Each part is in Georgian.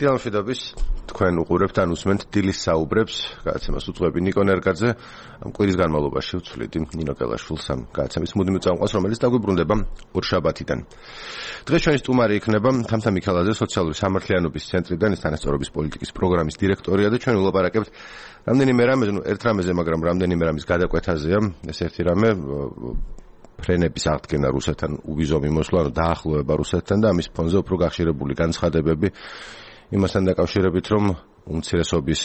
დილა მშვიდობის თქვენ უყურებთ ან უსმენთ დილის საუბრებს, გადაცემას უძღვები ნიკო ნერგაძე. ამ კვირის განმავლობაში ვცვლით ნინო კელაშვილს ამ გადაცემის მუდმივ წამყვანს, რომელიც დაგვიბრუნდება ორშაბათიდან. დღეს ჩვენი სტუმარი იქნება თამთა მიქელაძე, სოციალური სამართლიანობის ცენტრიდან, ის თანასწორობის პოლიტიკის პროგრამის დირექტორია და ჩვენ ვილაპარაკებთ რამდენიმე რამეზე, ერთ რამეზე, მაგრამ რამდენიმე რამის გადაკვეთაზეა. ეს ერთი რამე ფრენების აღდგენა რუსეთთან, უბიზომი მოსვლა, დაახლოება რუსეთთან და ამის ფონზე უფრო გახშირებული განცხადებები იმასთან დაკავშირებით, რომ უმცირესობის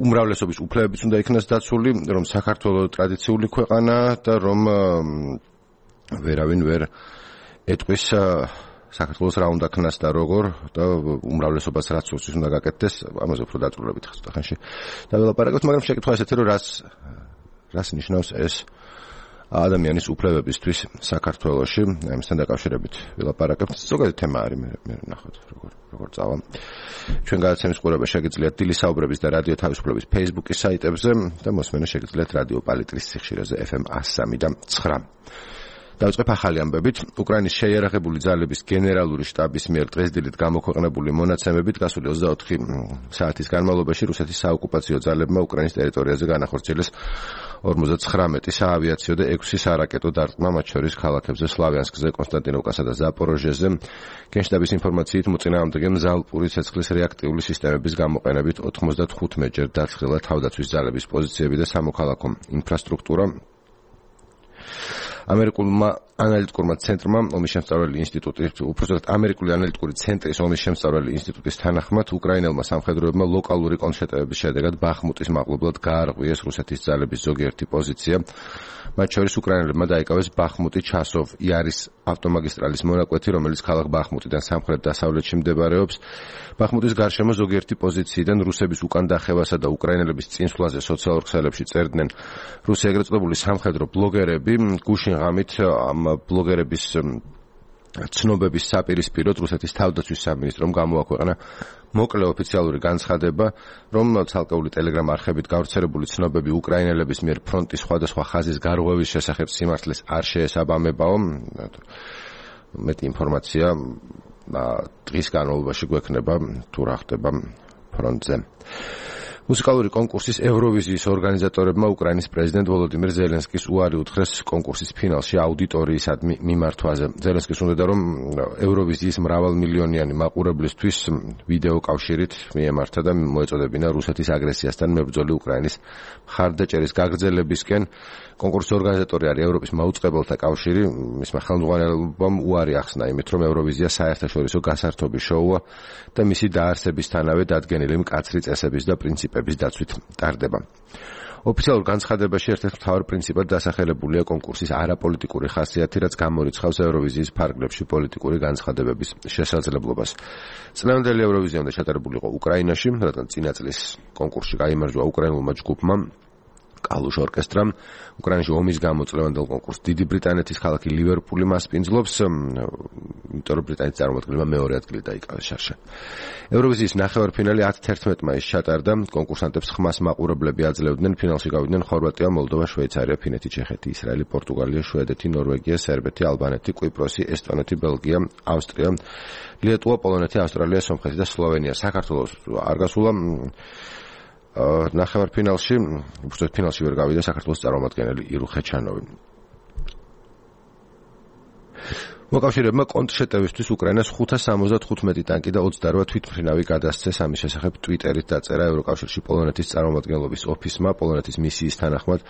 უმრავლესობის უფლებებიც უნდა იქნას დაცული, რომ საქართველოს ტრადიციული ქვეყანაა და რომ ვერავინ ვერ ეტყვის საქართველოს რა უნდა ქნას და როგორ და უმრავლესობას რაც უსვის უნდა გაკეთდეს, ამაზე უფრო დაწვრილებით ხსნა ხანში. და ველაპარაკებთ, მაგრამ შეკითხვა ესეთი, რომ რას ნიშნავს ეს ადამიანის უფლებებისთვის საქართველოში, ამისთან დაკავშირებით ვილაპარაკებთ. ზოგადად თემა არის, მე ნახოთ როგორ წავა. ჩვენ გადაცემის ყურება შეგიძლიათ დილის საუბრების და რადიო თავისუფლების Facebook-ის საიტებზე და მოსმენა შეგიძლიათ რადიო პალიტრის სიხშირეზე FM 103.9. დავიწყებ ახალი ამბებით. უკრაინის შეიარაღებული ძალების გენერალური შტაბის მიერ დღესდილით გამოქვეყნებული მონაცემებით გასული 24 საათის განმავლობაში რუსეთის საოკუპაციო ძალებმა უკრაინის ტერიტორიაზე განახორციელეს 59 საავიაციო და 6 სარაკეტო დარტყმა, მათ შორის ქალაქებზე სლავიანსკზე, კონსტანტინოვკასა და ზაპოროჟიეზე. გენშტაბის ინფორმაციით მოწინააღმდეგემ ზალპური ცეცხლის რეაქტიული სისტემების გამოყენებით 95-ჯერ დაცხრილა თავდაცვის ძალების პოზიციები და სამოქალაქო ინფრასტრუქტურა. ამერიკულმა ანალიტიკურმა ცენტრმა ომის შემსწავლელი ინსტიტუტის, უпростоრად ამერიკული ანალიტიკური ცენტრის ომის შემსწავლელი ინსტიტუტის თანახმად, უკრაინელმა სამხედროებმა ლოკალური კონშეტევების შედეგად ბახმუტის მაღლობლად გაარღვიეს რუსეთის ძალების ზოგიერთი პოზიცია. მათ შორის უკრაინელებმა დაიკავეს ბახმუტი, ჩასოვ, იარის ავტომაგისტრალის მონაკვეთი, რომელიც ქალაქ ბახმუტიდან სამხრეთ-დასავლეთში მდებარეობს. ბახმუტის გარშემო ზოგიერთი პოზიციიდან რუსების უკან დახევასა და უკრაინელების წინსვლაზე სოციალურ ქსელებში წერდნენ რუსი ეგრეთ წოდებული სამხედრო ბლოგერები. გუშინ ღამით ამ ბლოგერების ცნობების საპირისპიროდ რუსეთის თავდაცვის სამინისტრომ გამოაქვეყნა მოკლე ოფიციალური განცხადება, რომ ცალკეული ტელეგრამ არხებით გავრცელებული ცნობები უკრაინელების მიერ ფრონტის სხვადასხვა ხაზის გარღვევის შესახებ სიმართლეს არ შეესაბამებაო. მეტი ინფორმაცია დღის განმავლობაში გვექნება თუ რა ხდება ფრონტზე. მუსიკალური კონკურსის ევროვიზიის ორგანიზატორებმა უკრაინის პრეზიდენტ ვოლოდიმირ ზელენსკის უარი უთხრეს კონკურსის ფინალში აუდიტორიისადმი მიმართვაზე. ზელენსკის უნდოდა, რომ ევროვიზიის მრავალმილიონიანი მაყურებლისთვის ვიდეო კავშირით მიემართა და მოეწოდებინა რუსეთის აგრესიასთან მებრძოლი უკრაინის მხარდაჭერის გაგრძელებისკენ. კონკურსის ორგანიზატორი არის ევროპის მაუწყებელთა კავშირი. მისმა ხელმძღვანელობამ უარი ახსნა იმით, რომ ევროვიზია საერთაშორისო გასართობი შოუა და მისი დაარსებისთანავე დადგენილი მკაცრი წესების და პრინციპების დაცვით ტარდება. ოფიციალურ განცხადებაში ერთ-ერთ მთავარ პრინციპად დასახელებულია კონკურსის არაპოლიტიკური ხასიათი, რაც გამორიცხავს ევროვიზიის ფარგლებში პოლიტიკური განცხადებების შესაძლებლობას. წლევანდელი ევროვიზია უნდა ჩატარებულიყო უკრაინაში, რადგან წინა წლის კონკურსში გაიმარჯვა უკრაინულმა ჯგუფმა კალუშ ორკესტრამ. უკრაინაში ომის გამო წლევანდელ კონკურსს დიდი ბრიტანეთის ქალაქი ლივერპული მასპინძლობს, იმიტომ რომ ბრიტანეთის წარმომადგენლებმა მეორე ადგილი დაიკავეს შარშან. ევროვიზიის ნახევარფინალი 10-11 მაისს ჩატარდა. კონკურსანტებს ხმას მაყურებლები აძლევდნენ. ფინალში გავიდნენ ხორვატია, მოლდოვა, შვეიცარია, ფინეთი, ჩეხეთი, ისრაელი, პორტუგალია, შვედეთი, ნორვეგია, სერბეთი, ალბანეთი, კვიპროსი, ესტონეთი, ბელგია, ავსტრია, ლიეტუვა, პოლონეთი, ავსტრალია, სომხეთი და სლოვენია. საქართველოს არ გასულა ნახევარფინალში, უბრალოდ ფინალში ვერ გავიდა საქართველოს წარმომადგენელი ირუ ხეჩანოვი. მოკავშირეებმა კონტრშეტევისთვის უკრაინას 575 ტანკი და 28 თვითმფრინავი გადასცეს. ამის შესახებ ტვიტერით დაწერა ევროკავშირში პოლონეთის წარმომადგენლობის ოფისმა. პოლონეთის მისიის თანახმად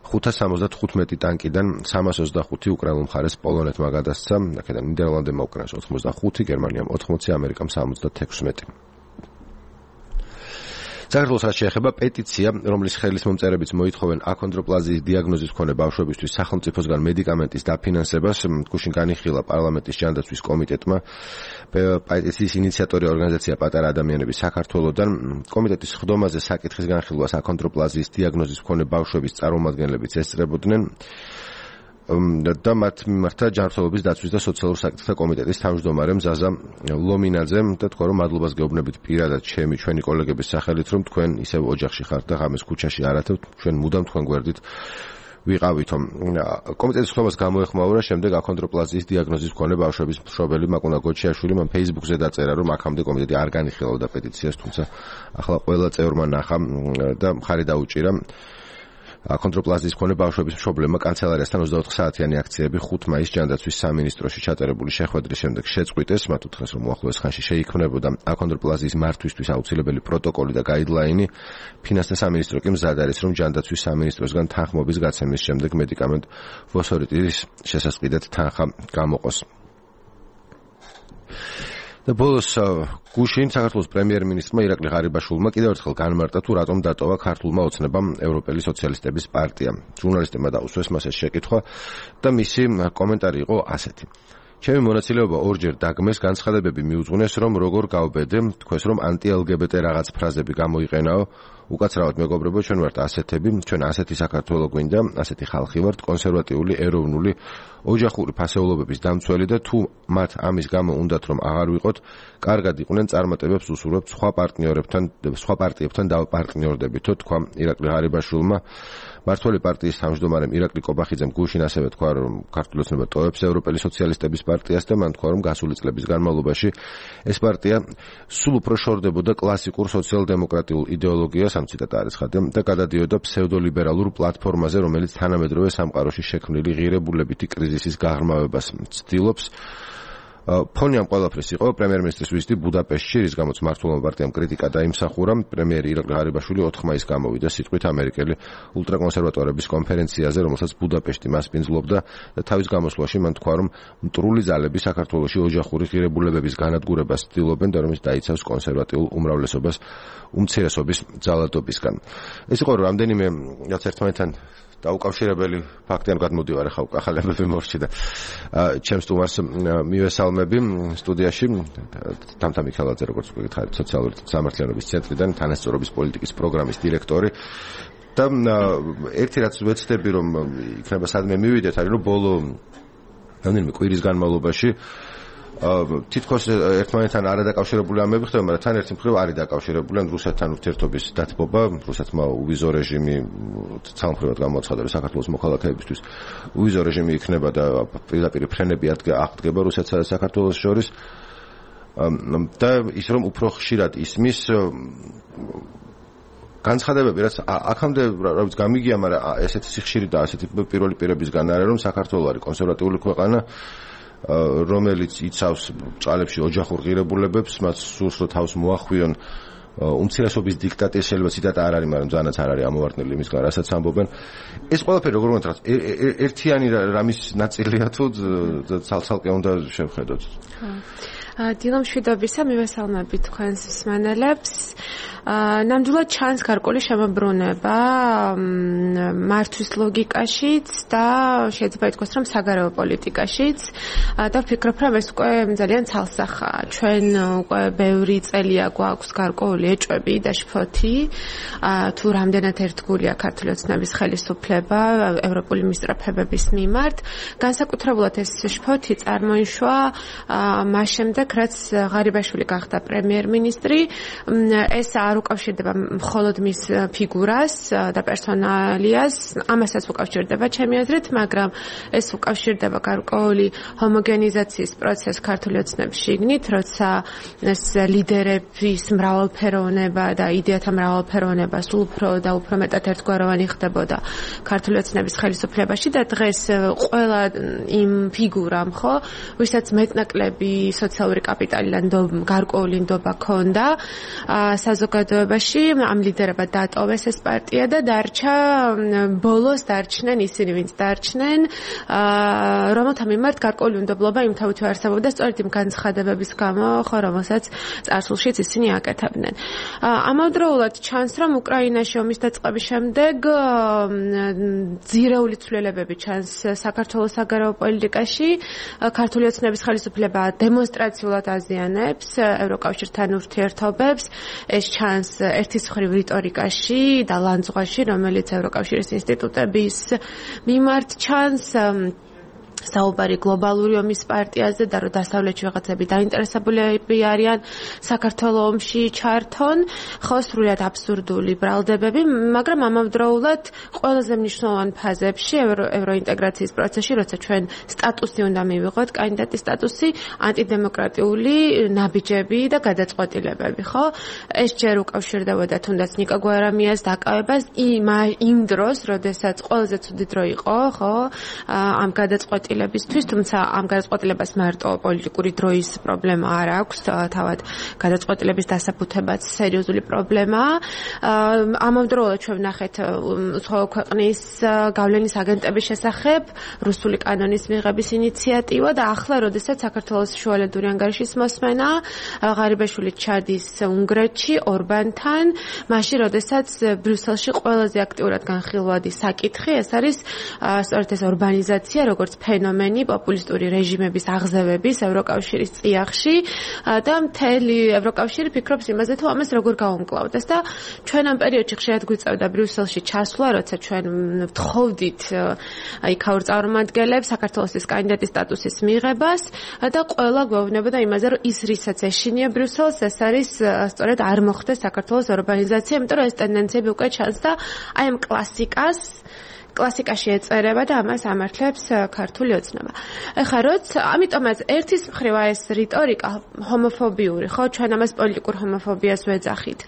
575 ტანკიდან 325 უკრაინულ მხარეს პოლონეთმა გადასცა. აქედან ნიდერლანდებმა უკრაინას 85, გერმანიამ 80, ამერიკამ 76. საქართველოს რაც შეეხება პეტიცია, რომლის ხელის მომწერებიც მოითხოვენ აქონდროპლაზიის დიაგნოზის მქონე ბავშვებისთვის სახელმწიფოსგან მედიკამენტის დაფინანსებას, გუშინ განიხილა პარლამენტის ჯანდაცვის კომიტეტმა. პეტიციის ინიციატორი ორგანიზაცია პატარა ადამიანები საქართველოსდან. კომიტეტის ხდომაზე საკითხის განხილვას აქონდროპლაზიის დიაგნოზის მქონე ბავშვების წარმომადგენლებიც ესწრებოდნენ. და მათ მიმართა ჯანმრთელობის დაცვის და სოციალურ საკითხთა კომიტეტის თავმჯდომარე მზაზა ლომინაძემ და თქვა, რომ მადლობას გეუბნებით პირადად ჩვენი კოლეგების სახელით, რომ თქვენ ისევ ოჯახში ხართ და ღამეს ქუჩაში არათევთ, ჩვენ მუდამ თქვენ გვერდით ვიყავითო. კომიტეტის ხმობას გამოეხმაურა შემდეგ აქონდროპლაზიის დიაგნოზის მქონე ბავშვების მშობელი მაკუნა გოჩიაშვილი მან Facebook-ზე დაწერა, რომ აქამდე კომიტეტი არ განიხილავდა პეტიციას, თუმცა ახლა ყველა წევრმა ნახა და მხარი დაუჭირა. აქონდროპლაზიის მქონე ბავშვების მშობლებმა კანცელარიასთან 24 საათიანი აქციები 5 მაისს ჯანდაცვის სამინისტროში ჩატარებული შეხვედრის შემდეგ შეწყვიტეს. მათ უთხრეს, რომ უახლოეს ხანში შეიქმნებოდა აქონდროპლაზიის მართვისთვის აუცილებელი პროტოკოლი და გაიდლაინი. ფინანსთა სამინისტრო კი მზად არის, რომ ჯანდაცვის სამინისტროსგან თანხმობის გაცემის შემდეგ მედიკამენტ ვოსორიტის შესაწყიდად თანხა გამოყოს. და ბოლოს გუშინ საქართველოს პრემიერ-მინისტრმა ირაკლი ღარიბაშვილმა კიდევ ერთხელ განმარტა, თუ რატომ დატოვა ქართულმა ოცნებამ ევროპელი სოციალისტების პარტია. ჟურნალისტებმა დაუსვეს მას ეს შეკითხვა და მისი კომენტარი იყო ასეთი. ჩემი მონაწილეობა ორჯერ დაგმეს, განცხადებები მიუძღვნეს, რომ როგორ გავბედე, თქვეს, რომ ანტი-LGBT რაღაც ფრაზები გამოიყენაო. უკაცრავად მეგობრებო, ჩვენ ვართ ასეთები, ჩვენ ასეთი საქართველო გვინდა, ასეთი ხალხი ვართ, კონსერვატიული, ეროვნული, ოჯახური ფასეულობების დამცველი და თუ მათ ამის გამო უნდათ რომ აღარ ვიყოთ, კარგად იყვნენ წარმატებებს უსურვებთ სხვა პარტიებთან დავაპარტნიორდებითო, თქვა ირაკლი ღარიბაშვილმა. მართველი პარტიის თავმჯდომარემ ირაკლი კობახიძემ გუშინ ასევე თქვა, რომ ქართული ოცნება ტოვებს ევროპელი სოციალისტების პარტიას და მან თქვა, რომ გასული წლების განმავლობაში ეს პარტია სულ უფრო შორდებოდა კლასიკურ სოციალ-დემოკრატიულ იდეოლოგიას, ამ ციტატა არის ხადე, და გადადიოდა ფსევდოლიბერალურ პლატფორმაზე, რომელიც თანამედროვე სამყაროში შექმნილი ღირებულებითი კრიზისის გაღრმავებას ცდილობს. ფონი ამ ყველაფრის იყო პრემიერ-მინისტრის ვიზიტი ბუდაპეშტში, რის გამოც მართლობმა პარტიამ კრიტიკა დაიმსახურა. პრემიერი ირაკლი ღარიბაშვილი 4 მაისს გამოვიდა სიტყვით ამერიკელი ულტრაკონსერვატორების კონფერენციაზე, რომელსაც ბუდაპეშტი მასპინძლობდა და თავის გამოსვლაში მან თქვა, რომ მტრული ძალები საქართველოში ოჯახური ღირებულებების განადგურებას ცდილობენ და რომ ის დაიცავს კონსერვატიულ უმრავლესობას უმცირესობის ძალადობისგან. ეს იყო რამდენიმე რაც ერთმანეთთან დაუკავშირებელი ფაქტი, ან გადმოდივარ ახლა ახალებები მორჩი და ჩემს სტუმარს მივესალმები სტუდიაში თამთა მიქელაძე, როგორც გითხარით, სოციალური სამართლიანობის ცენტრიდან თანასწორობის პოლიტიკის პროგრამის დირექტორი. და ერთი რაც ვეცდები, რომ იქნება სადმე მივიდეთ, არის რომ ბოლო რამდენიმე კვირის განმავლობაში თითქოს ერთმანეთთან არადაკავშირებული ამბები ხდება, მაგრამ თან ერთი მხრივ არის დაკავშირებული, ან რუსეთთან ურთიერთობის დათბობა, რუსეთმა უვიზო რეჟიმი სამხრეთად გამოაცხადა, რომ საქართველოს მოქალაქეებისთვის უვიზო რეჟიმი იქნება და პირდაპირ ფრენები აღდგება რუსეთსა და საქართველოს შორის. და ის რომ უფრო ხშირად ისმის განცხადებები, რაც აქამდე რაც გამიგია, მაგრამ ესეთი სიხშირი და ასეთი პირველი პირებისგან არის, რომ საქართველო არის კონსერვატიული ქვეყანა, რომელიც იცავს ჭალებში ოჯახურ ღირებულებებს, მათ სურს რომ თავს მოახვიონ უმცირესობის დიქტატის, შეიძლება ციტატა არ არის, მაგრამ ძალიანაც არ არის ამოვარდნილი იმისგან, რასაც ამბობენ. ეს ყველაფერი როგორ ვთქვათ, ერთიანი რამის ნაწილია თუ ცალ-ცალკე უნდა შევხედოთ? დილა მშვიდობისა, მივესალმები თქვენს მსმენელებს. ნამდვილად ჩანს გარკვეული შემოbrunება მართვის ლოგიკაშიც და შეიძლება ითქვას, რომ საგარეო პოლიტიკაშიც და ვფიქრობ, რომ ეს უკვე ძალიან ცალსახაა. ჩვენ უკვე ბევრი წელია გვაქვს გარკვეული ეჭვები და შფოთი, თუ რამდენად ერთგულია ქართული ოცნების ხელისუფლება ევროპული მისწრაფებების მიმართ. განსაკუთრებულად ეს შფოთი წარმოიშვა მას შემდეგ, რაც ღარიბაშვილი გახდა პრემიერ-მინისტრი. ეს არ უკავშირდება მხოლოდ მის ფიგურას და პერსონალიას, ამასაც უკავშირდება ჩემი აზრით, მაგრამ ეს უკავშირდება გარკვეული ჰომოგენიზაციის პროცესს ქართული ოცნების შიგნით, როცა ეს ლიდერების მრავალფეროვნება და იდეათა მრავალფეროვნება სულ უფრო და უფრო მეტად ერთგვაროვანი ხდებოდა ქართული ოცნების ხელისუფლებაში და დღეს ყველა იმ ფიგურამ, ხო, ვისაც მეტნაკლები სოციალური კაპიტალიდან გარკვეული ნდობა ჰქონდა საზოგადოებაში, ამ ლიდერებად დატოვეს ეს პარტია და დარჩა ბოლოს დარჩნენ ისინი, ვინც დარჩნენ, რომელთა მიმართ გარკვეული უნდობლობა იმთავითვე არსებობდა სწორედ იმ განცხადებების გამო, ხო, რომელსაც წარსულშიც ისინი აკეთებდნენ. ამავდროულად ჩანს, რომ უკრაინაში ომის დაწყების შემდეგ ძირეული ცვლილებები ჩანს საქართველოს საგარეო პოლიტიკაში. ქართული ოცნების ხელისუფლება დემონსტრაციულად აზიანებს ევროკავშირთან ურთიერთობებს. ეს ჩანს ერთის მხრივ რიტორიკაში და ლანძღვაში, რომელიც ევროკავშირის ინსტიტუტების მიმართ ჩანს. საუბარი გლობალური ომის პარტიაზე და რომ დასავლეთში რაღაცები დაინტერესებულები არიან საქართველოს ომში ჩართონ, ხო სრულად აბსურდული ბრალდებები, მაგრამ ამავდროულად ყველაზე მნიშვნელოვან ფაზებში ევროინტეგრაციის პროცესში, როცა ჩვენ სტატუსი უნდა მივიღოთ, კანდიდატის სტატუსი, ანტიდემოკრატიული ნაბიჯები და გადაწყვეტილებები, ხო? ეს ჯერ უკავშირდებოდა თუნდაც ნიკა გვარამიას დაკავებას იმ დროს, როდესაც ყველაზე ცუდი დრო იყო, ხო? ამ გადაწყვეტილებისთვის, თუმცა ამ გადაწყვეტილებას მარტო პოლიტიკური დროის პრობლემა არ აქვს, თავად გადაწყვეტილების დასაბუთებაც სერიოზული პრობლემაა. ამავდროულად ჩვენ ვნახეთ უცხოო ქვეყნის გავლენის აგენტების შესახებ რუსული კანონის მიღების ინიციატივა და ახლა, როდესაც საქართველოს შუალედური ანგარიშის მოსმენა ღარიბაშვილი ჩადის უნგრეთში ორბანთან, მაშინ, როდესაც ბრიუსელში ყველაზე აქტიურად განხილვადი საკითხი, ეს არის სწორედ ეს ორბანიზაცია, როგორც ფენომენი პოპულისტური რეჟიმების აღზევების ევროკავშირის წიაღში და მთელი ევროკავშირი ფიქრობს იმაზე, თუ ამას როგორ გაუმკლავდეს და ჩვენ ამ პერიოდში ხშირად გვიწევდა ბრიუსელში ჩასვლა, როცა ჩვენ ვთხოვდით იქაურ წარმომადგენლებს საქართველოს კანდიდატის სტატუსის მიღებას და ყველა გვეუბნებოდა იმაზე, რომ ის რისაც ეშინია ბრიუსელს, ეს არის სწორედ არ მოხდეს საქართველოს ორბანიზაცია, იმიტომ რომ ეს ტენდენციები უკვე ჩანს და აი ამ კლასიკაში ეწერება და ამას ამართლებს ქართული ოცნება. ეხლა ამიტომაც ერთის მხრივ ეს რიტორიკა ჰომოფობიური, ხო, ჩვენ ამას პოლიტიკურ ჰომოფობიას ვეძახით.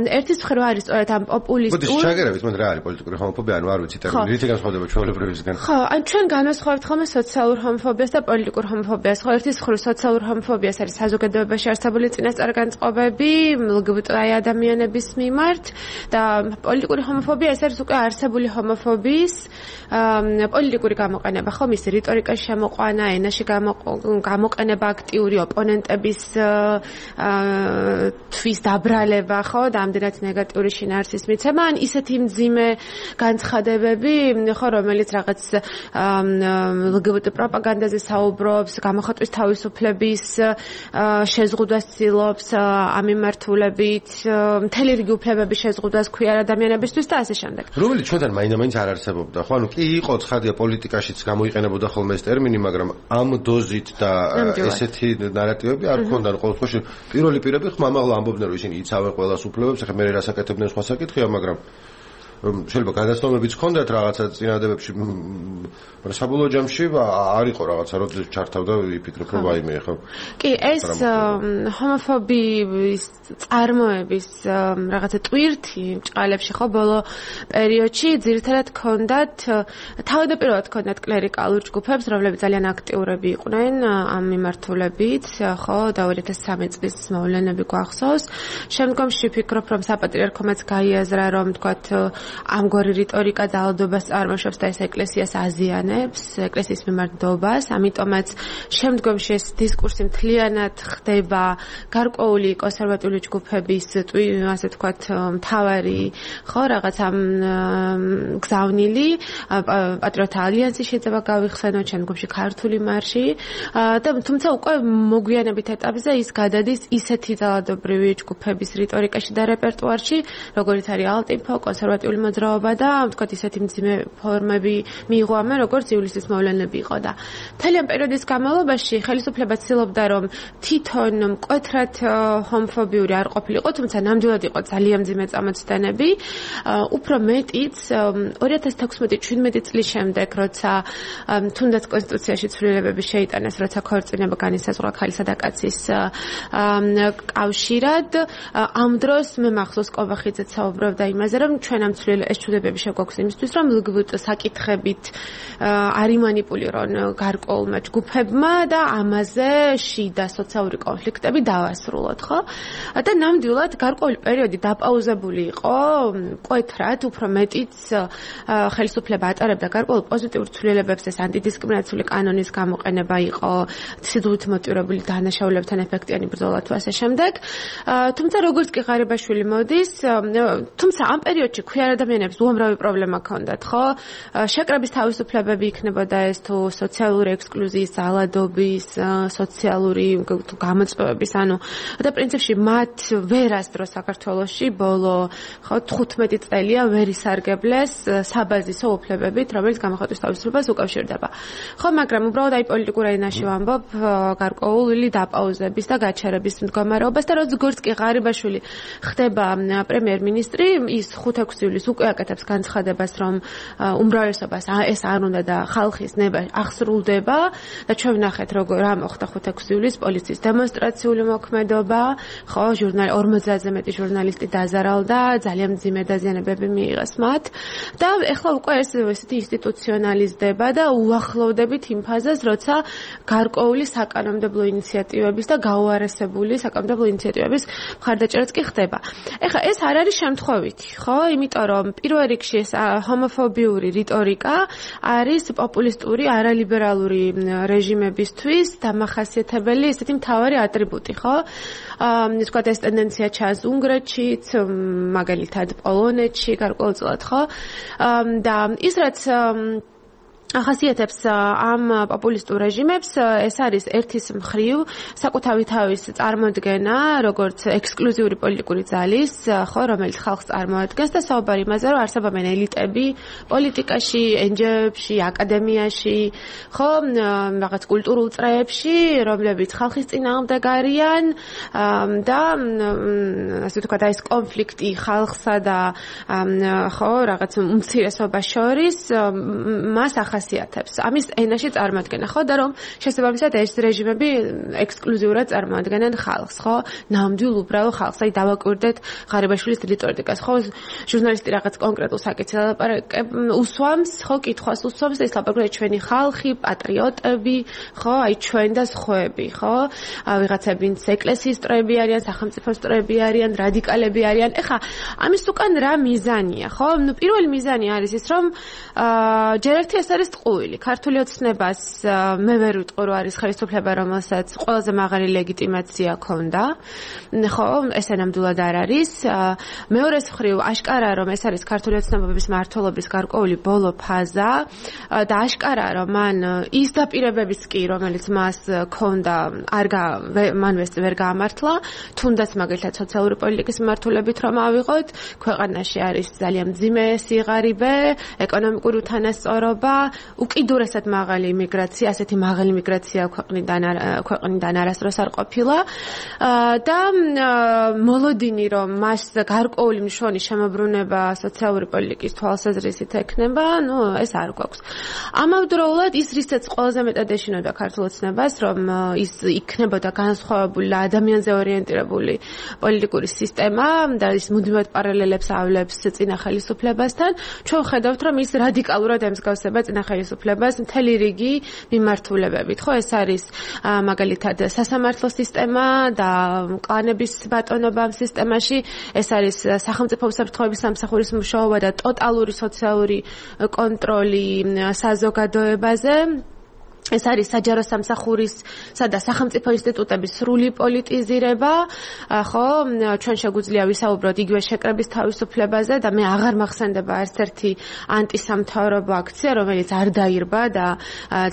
ერთის მხრივ არის სწორედ ამ პოპულისტურ. მოდი შეგერებით, მაგრამ რა არის პოლიტიკური ჰომოფობია, ანუ არ ვიცი ტერმინი, რითი განსხვავდება ჩვეულებრივისგან. ხო, ან ჩვენ განვასხვავებთ ხოლმე სოციალურ ჰომოფობიას და პოლიტიკურ ჰომოფობიას. ხო, ერთის მხრივ სოციალურ ჰომოფობიას არის საზოგადოებაში არსებული წინასწარ-განწყობები ლგბტ-აი ადამიანების მიმართ და პოლიტიკური ჰომოფობია ეს არის უკვე არსებული ჰომოფობია პოლიტიკური გამოყენება, ხო, მის რიტორიკაში შემოყვანა, ენაში გამოყენება აქტიური ოპონენტების თვის დაბრალება, ხო, და ამდენად ნეგატიური შინაარსის მიცემა, ან ისეთი მძიმე განცხადებები, ხო, რომელიც რაღაც ლგბტ პროპაგანდაზე საუბრობს, გამოხატვის თავისუფლების შეზღუდვას ცდილობს ამ მიმართულებით, მთელი რიგი უფლებების შეზღუდვას ქვია ადამიანებისთვის და ასე შემდეგ. რომელიც ჩვენთან მაინდა-მაინც არ არსებობდა, ხო, ანუ კი იყო ცხადია პოლიტიკაშიც გამოიყენებოდა ხოლმე ეს ტერმინი, მაგრამ ამ დოზით და ესეთი ნარატივები არ ქონდა, ყოველ შემთხვევაში პირველი პირები ხმამაღლა ამბობდნენ, რომ ისინი იცავენ ყველას უფლებებს, ახლა მე რასაკეთებდნენ სხვა საკითხია, მაგრამ შეიძლება გადაცნობებიც ჰქონდათ რაღაცა წინადადებებში, მაგრამ საბოლოო ჯამში არ იყო რაღაცა, როდის ჩართავდა იფიქრებ, რომ ვაიმე, ხო? კი, ეს ჰომოფობიის წარმოების რაღაცა ტვირთი ჭყალებში, ხო, ბოლო პერიოდში ძირითადად ჰქონდათ თავდაპირველად ჰქონდათ კლერიკალურ ჯგუფებს, რომლებიც ძალიან აქტიურები იყვნენ ამ მიმართულებით, ხო, და 2013 წლის მოვლენები გვახსოვს. შემდგომში ვფიქრობ, რომ საპატრიარქომაც გაიაზრა, რომ თქვათ ამგვარი რიტორიკა ძალადობას წარმოშობს და ეს ეკლესიას აზიანებს, ეკლესიის მიმართ დობას, ამიტომაც შემდგომში ეს დისკურსი მთლიანად ხდება გარკვეული კონსერვატიული ჯგუფების, ასე თქვათ, მთავარი, ხო, რაღაც ამ გზავნილი, პატრიოტთა ალიანსი შეიძლება გავიხსენოთ, შემდგომში ქართული მარში და თუმცა უკვე მოგვიანებით ეტაპზე ის გადადის ისეთი ძალადობრივი ჯგუფების რიტორიკაში და რეპერტუარში, როგორიც არის ალტიფო, კონსერვატიული მოძრაობა და თქვათ ისეთი მძიმე ფორმები მიიღო ამან, როგორც ივლისის მოვლენები იყო და მთელი ამ პერიოდის განმავლობაში ხელისუფლება ცდილობდა, რომ თვითონ მკვეთრად ჰომოფობიური არ ყოფილიყო, თუმცა ნამდვილად იყო ძალიან მძიმე წამოწდენები. უფრო მეტიც 2016-17 წლის შემდეგ, როცა თუნდაც კონსტიტუციაში ცვლილებები შეიტანეს, როცა ქორწინება განისაზღვრა ქალისა და კაცის კავშირად, ამ დროს მე მახსოვს კობახიძეც საუბრობდა იმაზე, რომ ჩვენ ამ ეს ჩუდებები შეგვაქვს იმისთვის, რომ ლგბტ საკითხებით არ იმანიპულირონ გარკვეულმა ჯგუფებმა და ამაზე შიდა სოციალური კონფლიქტები დავასრულოთ, ხო? და ნამდვილად გარკვეული პერიოდი დაპაუზებული იყო, მკვეთრად, უფრო მეტიც ხელისუფლება ატარებდა გარკვეულ პოზიტიურ ცვლილებებს, ეს ანტიდისკრიმინაციული კანონის გამოყენება იყო, სიძულით მოტივირებული დანაშაულებთან ეფექტიანი ბრძოლა თუ ასე შემდეგ. თუმცა როგორც კი ღარიბაშვილი მოდის, თუმცა ამ პერიოდში ქვია ადამიანებს უამრავი პრობლემა ჰქონდათ, ხო? შეკრების თავისუფლებები იქნებოდა ეს თუ სოციალური ექსკლუზიის, ძალადობის, სოციალური გამოწვევების, და პრინციპში მათ ვერასდროს საქართველოში ბოლო, ხო, 15 წელია ვერ ისარგებლეს საბაზისო უფლებებით, რომელიც გამოხატვის თავისუფლებას უკავშირდება. ხო, მაგრამ უბრალოდ აი პოლიტიკურ ენაში ვამბობ გარკვეული დაპაუზების და გაჩერების მდგომარეობას და როგორც კი ღარიბაშვილი ხდება პრემიერ-მინისტრი, ის 5-6 ივლისს უკვე აკეთებს განცხადებას, რომ უმრავლესობას ეს არ უნდა და ხალხის ნება აღსრულდება და ჩვენ ვნახეთ როგორ რა მოხდა 5-6 ივლისს პოლიციის დემონსტრაციული მოქმედობა, ხო, 50-ზე მეტი ჟურნალისტი დაზარალდა, ძალიან მძიმე დაზიანებები მიიღეს მათ და ეხლა უკვე ეს ესეთი ინსტიტუციონალიზდება და უახლოვდებით იმ ფაზას, როცა გარკვეული საკანონმდებლო ინიციატივების და გაუარესებული საკანონმდებლო ინიციატივების მხარდაჭერაც კი ხდება. ეხლა ეს არ არის შემთხვევითი, ხო? იმიტომ რომ პირველ რიგში ეს ჰომოფობიური რიტორიკა არის პოპულისტური, არალიბერალური რეჟიმებისთვის დამახასიათებელი ესეთი მთავარი ატრიბუტი, ხო? ვთქვათ, ეს ტენდენცია ჩანს უნგრეთშიც, მაგალითად პოლონეთში გარკვეულწილად, ხო? და ის რაც ახასიათებს ამ პოპულისტურ რეჟიმებს, ეს არის ერთის მხრივ საკუთარი თავის წარმოდგენა, როგორც ექსკლუზიური პოლიტიკური ძალის, ხო, რომელიც ხალხს წარმოადგენს და საუბარი იმაზე, რომ არსებობენ ელიტები პოლიტიკაში, NGO-ებში, აკადემიაში, ხო, რაღაც კულტურულ წრეებში, რომლებიც ხალხის წინააღმდეგ არიან და ასე ვთქვათ, ეს კონფლიქტი ხალხსა და ხო, რაღაც უმცირესობას შორის მას ახასიათებს. ამის ენაში წარმოადგენა, ხო, და რომ შესაბამისად ეს რეჟიმები ექსკლუზიურად წარმოადგენენ ხალხს, ხო? ნამდვილ უბრალო ხალხს. აი დავაკვირდეთ ღარიბაშვილის რიტორიკას, ხო? ჟურნალისტი რაღაც კონკრეტულ საკითხზე უსვამს, ხო, კითხვას უსვამს, ეს ლაპარაკია ჩვენი ხალხი, პატრიოტები, ხო? აი ჩვენ და სხვები, ხო? ვიღაცები ვინც ეკლესიის წრეები არიან, სახელმწიფოს წრეები არიან, რადიკალები არიან. ეხლა ამის უკან რა მიზანია, ხო? ნუ პირველი მიზანი არის ის, რომ ჯერ ერთი ეს არის ტყუილი. ქართული ოცნებას მე ვერ ვიტყვი, რომ არის ხელისუფლება, რომელსაც ყველაზე მაღალი ლეგიტიმაცია ჰქონდა. ხო, ესე ნამდვილად არ არის. მეორეს მხრივ აშკარაა, რომ ეს არის ქართული ოცნებების მმართველობის გარკვეული ბოლო ფაზა და აშკარაა, რომ მან ის დაპირებებიც კი, რომელიც მას ჰქონდა, მან ვერ გაამართლა, თუნდაც მაგალითად სოციალური პოლიტიკის მიმართულებით რომ ავიღოთ, ქვეყანაში არის ძალიან მძიმე სიღარიბე, ეკონომიკური უთანასწორობა, უკიდურესად მაღალი იმიგრაცია, ასეთი მაღალი იმიგრაცია ქვეყნიდან არასდროს არ ყოფილა და მოლოდინი რომ მას გარკვეული მშვენი შემოbrunება სოციალური პოლიტიკის თვალსაზრისით ექნება, ნუ ეს არ გვაქვს. ამავდროულად ის რისაც ყველაზე მეტად ეშინოდა ქართულ ოცნებას, რომ ის იქნებოდა განსხვავებული ადამიანზე ორიენტირებული პოლიტიკური სისტემა და ის მუდმივად პარალელებს ავლებს წინა ხელისუფლებასთან, ჩვენ ხედავთ, რომ ის რადიკალურად ემსგავსება წინა ხელისუფლებას მთელი რიგი მიმართულებებით, ხო, ეს არის მაგალითად სასამართლო სისტემა და კლანების ბატონობა ამ სისტემაში, ეს არის სახელმწიფო უსაფრთხოების სამსახურის მუშაობა და ტოტალური სოციალური კონტროლი საზოგადოებაზე. ეს არის საჯარო სამსახურისა და სახელმწიფო ინსტიტუტების სრული პოლიტიზირება, ხო, ჩვენ შეგვიძლია ვისაუბროთ იგივე შეკრების თავისუფლებაზე და მე აღარ მახსენდება არც ერთი ანტისამთავრობო აქცია, რომელიც არ დაირბა და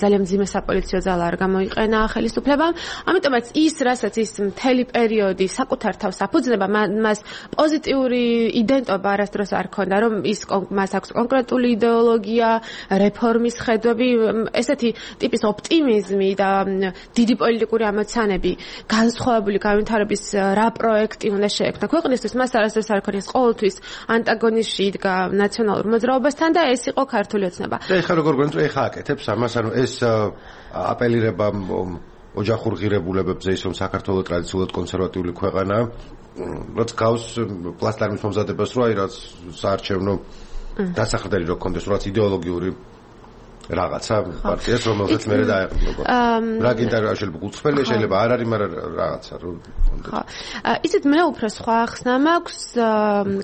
ძალიან მძიმე საპოლიციო ძალა არ გამოიყენა ხელისუფლებამ. ამიტომაც ის, რასაც ის მთელი პერიოდი საკუთარ თავს აფუძნება, მას პოზიტიური იდენტობა არასდროს არ ჰქონდა, რომ მას აქვს კონკრეტული იდეოლოგია, რეფორმის ხედვები, ესეთი ტიპის ოპტიმიზმი და დიდი პოლიტიკური ამოცანები, განსხვავებული განვითარების რა პროექტი უნდა შეექმნა ქვეყნისთვის, მას არასდროს არ ქონია, ყოველთვის ანტაგონიზმში იდგა ნაციონალურ მოძრაობასთან და ეს იყო ქართული ოცნება. და ეხლა როგორ გვენწრე ეხა აკეთებს ამას, ანუ ეს აპელირება ოჯახურ ღირებულებებზე, ის რომ საქართველოს ტრადიციულად კონსერვატიული ქვეყანაა, რაც გავს პლასტარმის მომზადებას, რომ აი რაც საარჩევნო დასახრდელი რო კონდეს, რაც იდეოლოგიური რაღაცა პარტიას, რომელზეც მე დაეყრდნობა. რა გინდა შეიძლება გულწრფელია, შეიძლება არ არის, მაგრამ რაღაცა რომ ხო. ისეთ მე უფრო სხვა ახსნა მაქვს,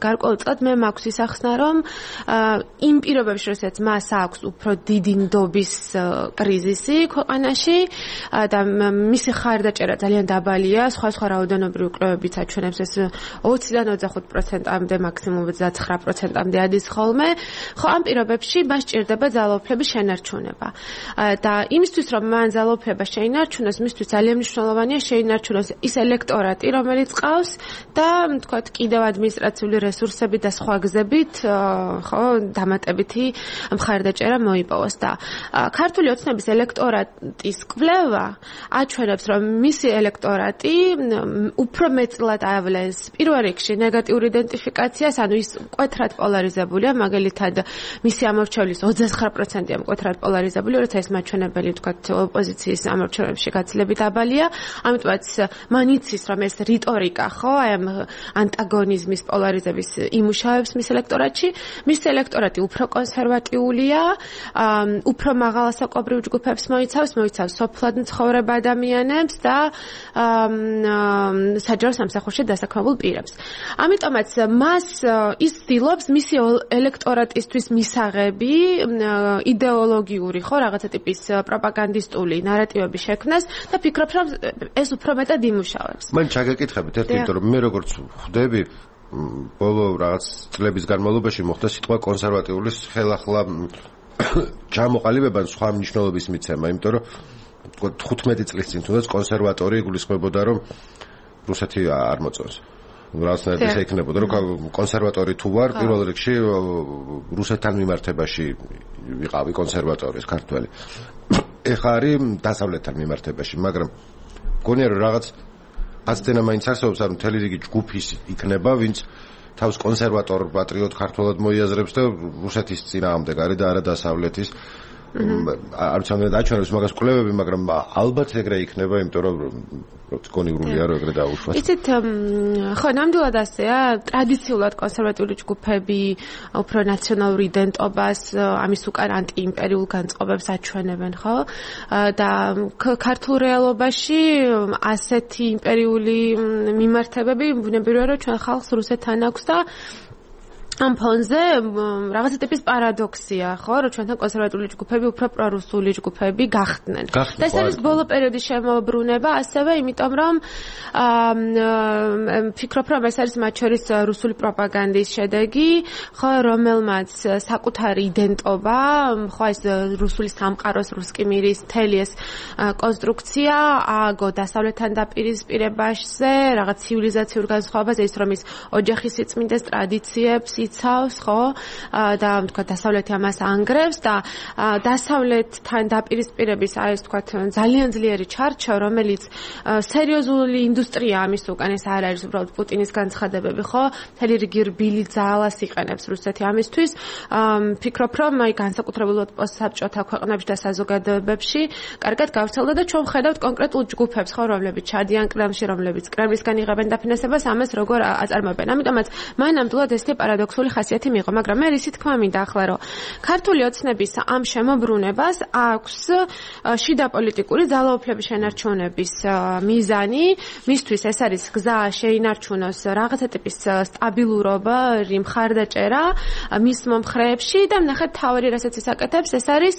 გარკვეულწილად მე მაქვს ის ახსნა, რომ იმ პირობებში, როდესაც მას აქვს უფრო დიდი ნდობის კრიზისი ქვეყანაში და მისი ხარდაჭერა ძალიან დაბალია, სხვა რაოდენობრივი კვლევებიც აჩვენებს ეს 20-დან 25%-მდე, მაქსიმუმ 29%-მდე ადის ხოლმე. ხო, ამ პირობებში მას სჭირდება ძალაუფლების შენარჩუნება. და იმისთვის, რომ მან ძალაუფლება შეინარჩუნოს, მისთვის ძალიან მნიშვნელოვანია შეინარჩუნოს ის ელექტორატი, რომელიც ყავს და თქვათ კიდევ ადმინისტრაციული რესურსები და სხვა გზებით, ხო, დამატებითი მხარდაჭერა მოიპოვოს და ქართული ოცნების ელექტორატის კვლევა აჩვენებს, რომ მისი ელექტორატი უფრო მეტწილად ავლენს პირველ რიგში ნეგატიურ იდენტიფიკაციას, ანუ ის მკვეთრად პოლარიზებულია, მაგალითად მისი ამორჩევლის 29%-ია მკვეთრად პოლარიზებული, როცა ეს მაჩვენებელი თქვათ ოპოზიციის ამორჩევლებში გაცილებით დაბალია, ამიტომაც მან იცის, რომ ეს რიტორიკა, ხო, აი ამ ანტაგონიზმის პოლარიზების იმუშავებს მის ელექტორატში, მის ელექტორატი უფრო კონსერვატიულია, უფრო მაღალასაკობრივ ჯგუფებს მოიცავს სოფლად მცხოვრებ ადამიანებს და საჯარო სამსახურში დასაქმებულ პირებს. ამიტომაც მას ის ცდილობს მისი ელექტორატისთვის მისაღები იდეოლოგიური, ხო, რაღაცა ტიპის პროპაგანდისტული ნარატივების შექმნას და ფიქრობს, რომ ეს უფრო მეტად იმუშავებს. მან ჩაგეკითხებით ერთი, იმიტომ რომ მე როგორც ხვდები ბოლო რაღაც წლების განმავლობაში მოხდა სიტყვა კონსერვატიულის ხელახლა ჩამოყალიბება სხვა მნიშვნელობის მიცემა, იმიტომ რომ 15 წლის წინ თუნდაც კონსერვატორი იგულისხმებოდა, რომ რუსეთი არ მოწონს. რაღაცნაირად ისე იქნებოდა, რომ კონსერვატორი თუ ვარ, პირველ რიგში რუსეთთან მიმართებაში ვიყავი კონსერვატორი ქართველი. ეხლა არის დასავლეთთან მიმართებაში, მაგრამ მგონია რომ რაღაც აცდენა მაინც არსებობს, რომ მთელი რიგი ჯგუფი იქნება, ვინც თავს კონსერვატორ პატრიოტ ქართველად მოიაზრებს და რუსეთის წინააღმდეგ არის და არა დასავლეთის. არ ვიცი რა დაჩვენებს მაგას კვლევები, მაგრამ ალბათ ეგრე იქნება, იმიტომ რომ კონიურულია რომ ეგრე დაუშვათ. იცით, ხო, ნამდვილად ასეა, ტრადიციულად კონსერვატიული ჯგუფები უფრო ნაციონალურ იდენტობას, ამის უკან ანტიიმპერიულ განწყობებს აჩვენებენ, ხო? და ქართულ რეალობაში ასეთი იმპერიული მიმართებები ბუნებრივია, რომ ჩვენ ხალხს რუსეთთან აქვს და ამ ფონზე რაღაცა ტიპის პარადოქსია, ხო, რომ ჩვენთან კონსერვატიული ჯგუფები უფრო პრორუსული ჯგუფები გახდნენ. და ეს არის ბოლო პერიოდის შემოbrunება, ასევე იმიტომ რომ ფიქრობ, რომ ეს არის მათ შორის რუსული პროპაგანდის შედეგი, ხო, რომელმაც საკუთარი იდენტობა, ხო, ეს რუსული სამყაროს, რუსკი მირის მთელი ეს კონსტრუქცია ააგო დასავლეთთან დაპირისპირებაზე, რაღაც ცივილიზაციურ განსხვავებაზე, ის რომ ის ოჯახის სიწმინდეს ტრადიციებს იცავს, ხო, და თქვა დასავლეთი ამას ანგრევს და დასავლეთთან დაპირისპირების აი ეს თქვა ძალიან ძლიერი ჩარჩო, რომელიც სერიოზული ინდუსტრია ამის უკან, ეს არ არის უბრალოდ პუტინის განცხადებები, ხო, მთელი რიგი რბილი ძალას იყენებს რუსეთი ამისთვის. ფიქრობ, რომ აი განსაკუთრებულად პოსტსაბჭოთა ქვეყნებში და საზოგადოებებში კარგად გავრცელდა და ჩვენ ვხედავთ კონკრეტულ ჯგუფებს, ხო, რომლებიც ჩადიან კრემლში, რომლებიც კრემლისგან იღებენ დაფინანსებას, ამას როგორ აწარმოებენ. ამიტომაც მან ნამდვილად ესეთი პარადოქსული ხასიათი მიიღო, მაგრამ მე ისი თქმა მინდა ახლა, რომ ქართული ოცნების ამ შემოbrunებას აქვს შიდა პოლიტიკური ძალაუფლების შენარჩუნების მიზანი, მისთვის ეს არის გზა შეინარჩუნოს რაღაცა ტიპის სტაბილურობა, მხარდაჭერა მის მომხრეებში და ნახეთ თავი რასაც ის აკეთებს, ეს არის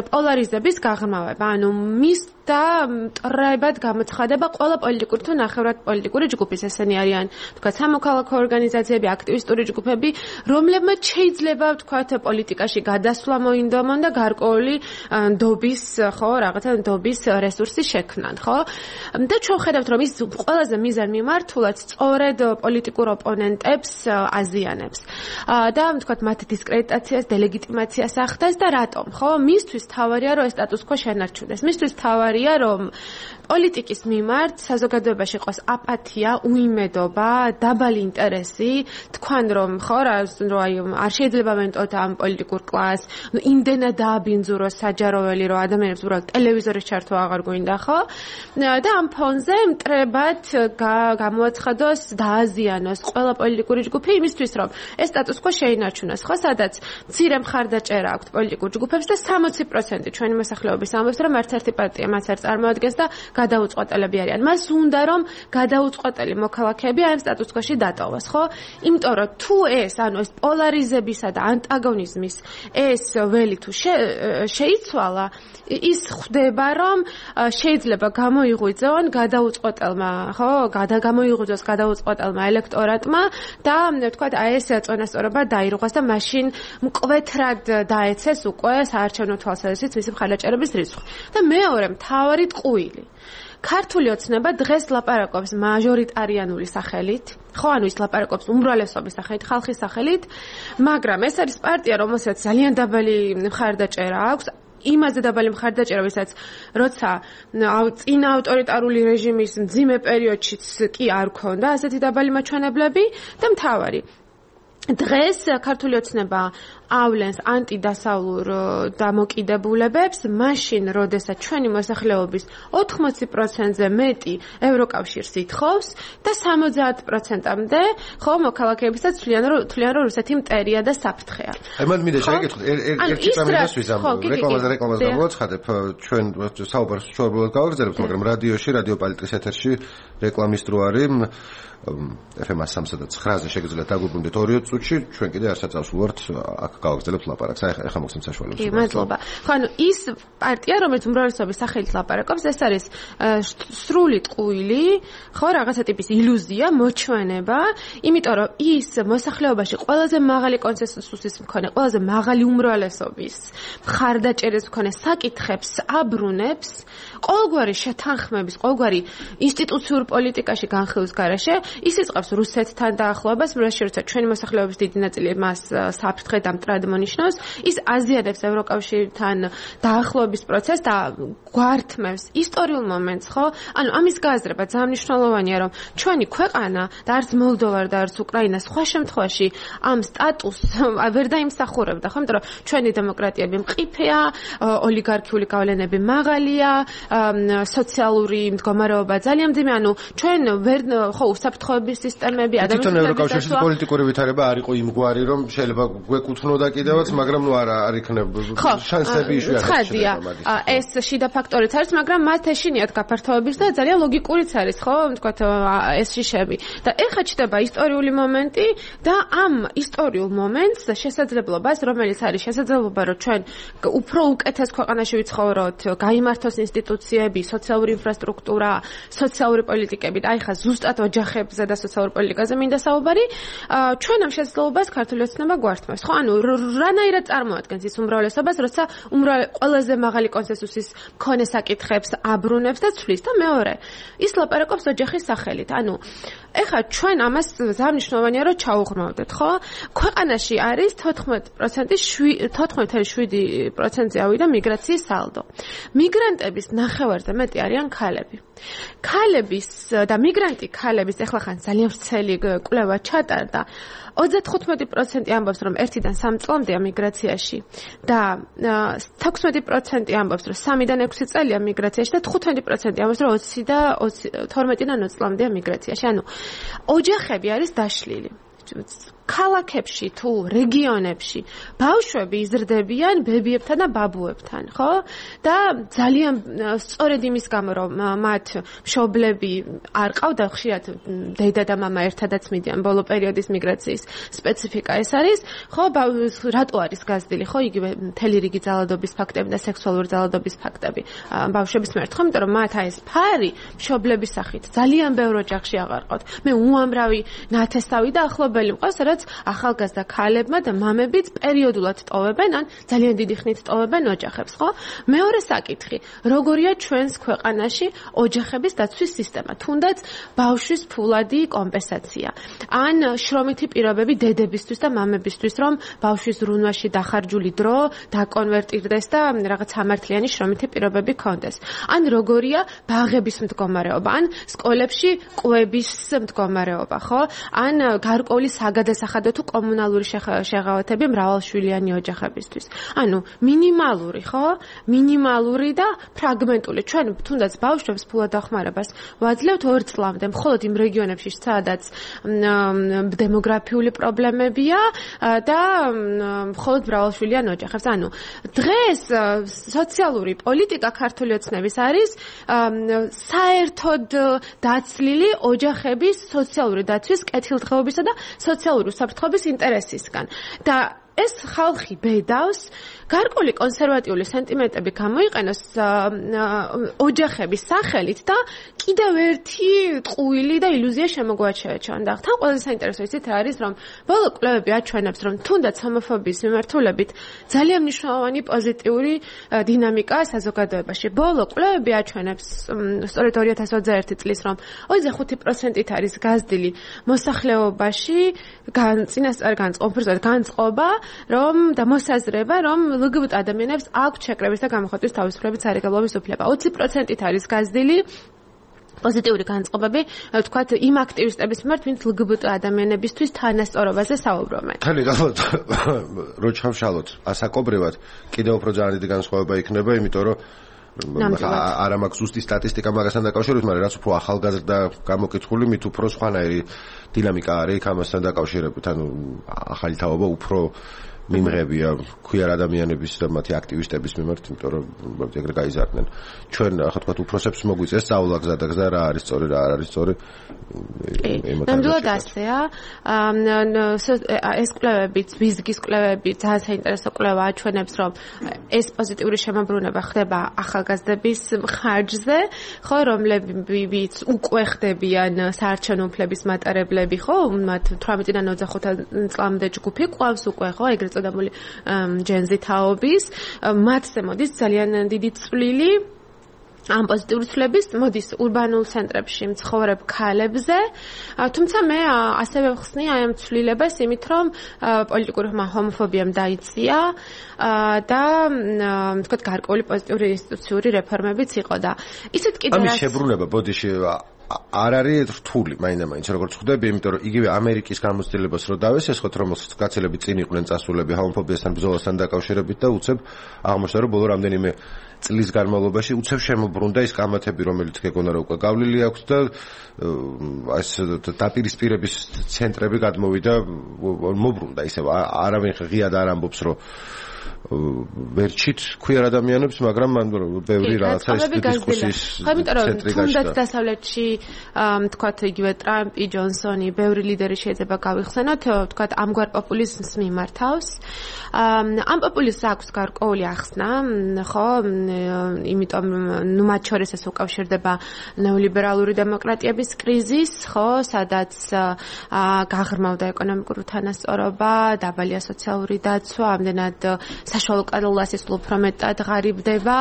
პოლარიზების გაღრმავება, ანუ მის და მტრებად გამოცხადება ყველა პოლიტიკური თუ ნახევრად პოლიტიკური ჯგუფის, ესენი არიან თქვა სამოქალაქო ორგანიზაციები, აქტივისტური ჯგუფები, რომლებმაც შეიძლება თქვა პოლიტიკაში გადასვლა მოინდომონ და გარკვეული ნდობის, ხო, რაღაცა ნდობის რესურსი შექმნან, ხო? და ჩვენ ხედავთ, რომ ის ყველაზე მიზან მიმართულად სწორედ პოლიტიკურ ოპონენტებს აზიანებს. და თქვა მათ დისკრედიტაციას, დელეგიტიმაციას ახდენს და რატომ, ხო? მისთვის თავარია, რომ ეს სტატუს-კვო შენარჩუნდეს. მისთვის თავარია საუბარია, რომ პოლიტიკის მიმართ საზოგადოებაში ყავს აპათია, უიმედობა, დაბალი ინტერესი, თქვენ რომ ხო რა არ შეიძლება ვენტოთ ამ პოლიტიკურ კლასს, იმდენად დააბინძუროს საჯაროველი, რომ ადამიანებს უბრალოდ ტელევიზორის ჩართვა აღარ გვინდა, ხო? და ამ ფონზე მტრებად გამოაცხადოს, დააზიანოს ყველა პოლიტიკური ჯგუფი იმისთვის, რომ ეს სტატუს quo შეინარჩუნოს, ხო? სადაც მცირე მხარდაჭერა აქვს პოლიტიკურ ჯგუფებს და 60% ჩვენი მოსახლეობის ამბობს, რომ ერთ-ერთი პარტია მას არ წარმოადგენს და გადაუწყვეტელები არიან. მას უნდა რომ გადაუწყვეტელი მოქალაქეები ამ სტატუს quo-ში დატოვოს, ხო? იმიტომ რომ თუ ეს პოლარიზებისა და ანტაგონიზმის ეს ველი თუ შეიცვალა, ის ხვდება რომ შეიძლება გამოიღვიძონ გადაუწყვეტელმა, ხო? გამოიღვიძოს გადაუწყვეტელმა ელექტორატმა და თქვათ აი ეს წონასწორობა დაირღვას და მაშინ მკვეთრად დაეცეს უკვე საარჩევნო თვალსაზრისით მისი მხარდაჭერების რიცხვი. და მეორე მთავარი ტყუილი ქართული ოცნება დღეს ლაპარაკობს მაჟორიტარიანული სახელით, ხო, ანუ ის ლაპარაკობს უმრავლესობის სახელით, ხალხის სახელით, მაგრამ ეს არის პარტია, რომელსაც ძალიან დაბალი მხარდაჭერა აქვს, იმაზე დაბალი მხარდაჭერა, ვისაც როცა წინა ავტორიტარული რეჟიმის მძიმე პერიოდშიც კი არ ქონდა ასეთი დაბალი მაჩვენებლები და მთავარი დღეს ქართული ოცნება ავლენს ანტიდასავლურ დამოკიდებულებებს, მაშინ, როდესაც ჩვენი მოსახლეობის 80%-ზე მეტი ევროკავშირს ითხოვს და 70%-მდე ხო მოქალაქეებისაც თვლიან, რომ რუსეთი მტერია და საფრთხეა. აი მან მინდა შეგეკითხოთ ერთი პრამიდას ვიზამ. რეკლამას გამოვაცხადებ, ჩვენ საუბარს შორბულად გავაგრძელებთ, მაგრამ რადიოში, რადიო პოლიტიკის ეთერში რეკლამის დრო არის. FM 103-ზე შეგიძლიათ დაგვიბრუნდეთ 2 წუთში, ჩვენ კიდე არსაცავს ვართ აქ გავაგრძელებთ ლაპარაკს. ახლა მოგცემთ საშუალებას. კი, მადლობა. ხო, ანუ ის პარტია, რომელიც უმრავლესობის სახელით ლაპარაკობს, ეს არის სრული ტყუილი, ხო, რაღაცა ტიპის ილუზია, მოჩვენება, იმიტომ რომ ის მოსახლეობაში ყველაზე მაღალი კონსენსუსის მქონე, ყველაზე მაღალი უმრავლესობის მხარდაჭერის მქონე საკითხებს აბრუნებს, ყოველგვარი შეთანხმების, ყოველგვარი ინსტიტუციურ პოლიტიკაში განხილვის გარეშე ის იწყებს რუსეთთან დაახლოებას, როცა ჩვენი მოსახლეობის დიდი ნაწილი მას საფრთხე და მტრად მონიშნავს, ის აზიანებს ევროკავშირთან დაახლოების პროცესს და გვართმევს ისტორიულ მომენტს, ხო? ანუ ამის გააზრება ძალიან მნიშვნელოვანია, რომ ჩვენი ქვეყანა და არც მოლდოვა და არც უკრაინა სხვა შემთხვევაში ამ სტატუსს ვერ დაიმსახურებდა, ხო? იმიტომ რომ ჩვენი დემოკრატიები მყიფეა, ოლიგარქიული გავლენები მაღალია, სოციალური მდგომარეობა ძალიან მძიმე, ანუ ჩვენ ვერ ხო უსაფრთხოების სისტემები ადამიანების თვითონ ევროკავშირის პოლიტიკური ვითარება არ იყო იმგვარი, რომ შეიძლება გვეკუთვნოდა კიდევაც, მაგრამ ნუ არ იქნება შანსები შვიათია. ეს შიდა ფაქტორიც არის, მაგრამ მათ ეშინიათ გაფართოების და ძალიან ლოგიკურიც არის, ხო, თქვათ ეს შიშები. და ეხლა ჩდება ისტორიული მომენტი და ამ ისტორიულ მომენტს შესაძლებლობას, რომელიც არის შესაძლებლობა, რომ ჩვენ უფრო უკეთეს ქვეყანაში ვიცხოვროთ, გაიმართოს ინსტიტუციები, სოციალური ინფრასტრუქტურა, სოციალური პოლიტიკები და აი ხა ზუსტად ოჯახებზე და სოციალურ პოლიტიკაზე მინდა საუბარი, ჩვენ ამ შესაძლებლობას ქართული ოცნება გვართმევს. ხო, ანუ რანაირად წარმოადგენს ის უმრავლესობას, როცა ყველაზე მაღალი კონსენსუსის მქონე საკითხებს აბრუნებს და ცვლის და მეორე, ის ლაპარაკობს ოჯახის სახელით. ანუ ეხლა ჩვენ ამას ძალიან მნიშვნელოვანია რომ ჩაუღრმავდეთ, ხო? ქვეყანაში არის 14.7%-ზე ავიდა მიგრაციის სალდო. მიგრანტების ნახევარზე მეტი არიან ქალები. ქალების და მიგრანტი ქალების ეხლა ხან ძალიან ვრცელი კვლევა ჩატარდა. 35% ამბობს, რომ 1-დან 3 წლამდეა მიგრაციაში და 16% ამბობს, რომ 3-დან 6 წელია მიგრაციაში და 15% ამბობს, რომ 12-დან 20 წლამდეა მიგრაციაში. ანუ ოჯახები არის დაშლილი. ქალაქებში თუ რეგიონებში ბავშვები იზრდებიან ბებიებთან და ბაბუებთან, ხო? და ძალიან სწორედ იმის გამო, რომ მათ მშობლები არ ყავდა, ხშირად დედა და მამა ერთადაც მიდიან ბოლო პერიოდის მიგრაციის სპეციფიკა ეს არის, ხო? რატო არის გაზრდილი, ხო? იგივე მთელი რიგი ძალადობის ფაქტები და სექსუალური ძალადობის ფაქტები ბავშვების მიმართ, ხო? იმიტომ რომ მათ ეს ფარი მშობლების სახით ძალიან ბევრ ოჯახში აღარ ყავთ. მე უამრავი ნათესავი და ახლობელი მყავს, რაც ახალგაზრდა ქალებმა და მამებიც პერიოდულად ტოვებენ ან ძალიან დიდი ხნით ტოვებენ ოჯახებს, ხო? მეორე საკითხი, როგორია ჩვენს ქვეყანაში ოჯახების დაცვის სისტემა, თუნდაც ბავშვის ფულადი კომპენსაცია. ან შრომითი პირობები დედებისთვის და მამებისთვის, რომ ბავშვის ზრუნვაში დახარჯული დრო დაკონვერტირდეს და რაღაც სამართლიანი შრომითი პირობები ქონდეს. ან როგორია ბაღების მდგომარეობა, ან სკოლებში კვების მდგომარეობა, ხო? ან გარკვეული საგადასახადო თუ კომუნალური შეღავათები მრავალშვილიანი ოჯახებისთვის. ანუ მინიმალური, ხო? მინიმალური და ფრაგმენტული. ჩვენ თუნდაც ბავშვებს ფულადახმარებას ვაძლევთ 2 წლამდე, მხოლოდ იმ რეგიონებში, სადაც დემოგრაფიული პრობლემებია და მხოლოდ მრავალშვილიან ოჯახებს. ანუ დღეს სოციალური პოლიტიკა ქართული ოცნების არის საერთოდ დაცლილი ოჯახების სოციალური დაცვის, კეთილდღეობისა და სოციალური უსაფრთხოების ინტერესისგან. და ეს ხალხი ბედავს, გარკვეული კონსერვატიული სენტიმენტები გამოიყენოს ოჯახების სახელით და კიდევ ერთი ტყუილი და ილუზია შემოგვაჩერა ჩვენ. და თან ყველაზე საინტერესო ისიც არის, რომ ბოლო კვლევები აჩვენებს, რომ თუნდაც ჰომოფობიის მიმართულებით ძალიან მნიშვნელოვანი პოზიტიური დინამიკაა საზოგადოებაში. ბოლო კვლევები აჩვენებს, სწორედ 2021 წლის, რომ 25%-ით არის გაზრდილი მოსახლეობაში წინასწარ განწყობა, რომ და მოსაზრება, რომ LGBT ადამიანებს აქვთ შეკრების და გამოხატვის თავისუფლების სარეგულირების უფლება. 20%-ით არის გაზრდილი პოზიტიური განწყობები, ვთქვათ, იმ აქტივისტების მიმართ, ვინც LGBT ადამიანებისთვის თანასწორობაზე საუბრობენ. ხელი გახლავთ, რო ჩავშალოთ ასაკობრივად, კიდევ უფრო ძალიან დიდი განსხვავება იქნება, იმიტომ რომ არა მაქვს ზუსტი სტატისტიკა მაგასთან დაკავშირებით, მაგრამ რაც უფრო ახალგაზრდა გამოკითხული, მით უფრო სხვანაირი დინამიკა არის ამასთან დაკავშირებით. ანუ ახალი თაობა უფრო მიმღებია queer ადამიანების და მათი აქტივისტების მიმართ, იმიტომ რომ ეგრე გაიზარდნენ. ჩვენ ახლა თქვა უფროსებს მოგვიწეს სწავლა გზა რა არის სწორი, რა არ არის სწორი. ნამდვილად ასეა. ეს კვლევებიც, ვიზგის კვლევები, ძალიან საინტერესო კვლევა აჩვენებს, რომ ეს პოზიტიური შემოbrunება ხდება ახალგაზრდების ხარჯზე, ხო, რომლებიც უკვე ხდებიან საარჩევნო უფლების მატარებლები, ხო, მათ 18-დან 25 წლამდე ჯგუფი ყავს უკვე, ხო, ეგრეთ წოდებული ჯენზი თაობის, მათზე მოდის ძალიან დიდი წვლილი ამ პოზიტიური ცვლილების მოდის ურბანულ ცენტრებში მცხოვრებ ქალებზე, თუმცა მე ასევე ვხსნი აი ამ ცვლილებას იმით, რომ პოლიტიკური ჰომოფობიამ დაიწია და თქვათ გარკვეული პოზიტიური ინსტიტუციური რეფორმებიც იყო და ისეთ კიდევ ამის შებრუნება ბოდიში არ არის რთული, მაინდა-მაინც როგორც ხვდები, იმიტომ რომ იგივე ამერიკის გამოცდილებას რო დავესესხოთ, რომელსაც კაცელები წინ იყვნენ წასულები ჰომოფობიასთან ბრძოლასთან დაკავშირებით და უცებ აღმოჩნდა, რომ ბოლო რამდენიმე წლის განმავლობაში უცებ შემოbrunდა ის კამათები, რომელიც გეგონა რომ უკვე გავლილი აქვს და ეს დაპირისპირების ცენტრები გადმოვიდა, მოbrunდა ისევ არავინ ღიად არ ამბობს, რომ ვერჩით queer ადამიანებს, მაგრამ მან ბევრი რაღაცა ეს დისკუსიის ცენტრი გაჩნდა. თუნდაც დასავლეთში, თქვათ, იგივე ტრამპი, ჯონსონი, ბევრი ლიდერი შეიძლება გავიხსენოთ, თქვათ, ამგვარ პოპულიზმს მიმართავს. ამ პოპულიზმს აქვს გარკვეული ახსნა, ხო? იმიტომ, ნუ მათ შორის ეს უკავშირდება ნეოლიბერალური დემოკრატიების კრიზისს, ხო, სადაც გაღრმავდა ეკონომიკური თანასწორობა, დაბალია სოციალური დაცვა, ამდენად საშუალო კლასის უფრო მეტად ღარიბდება,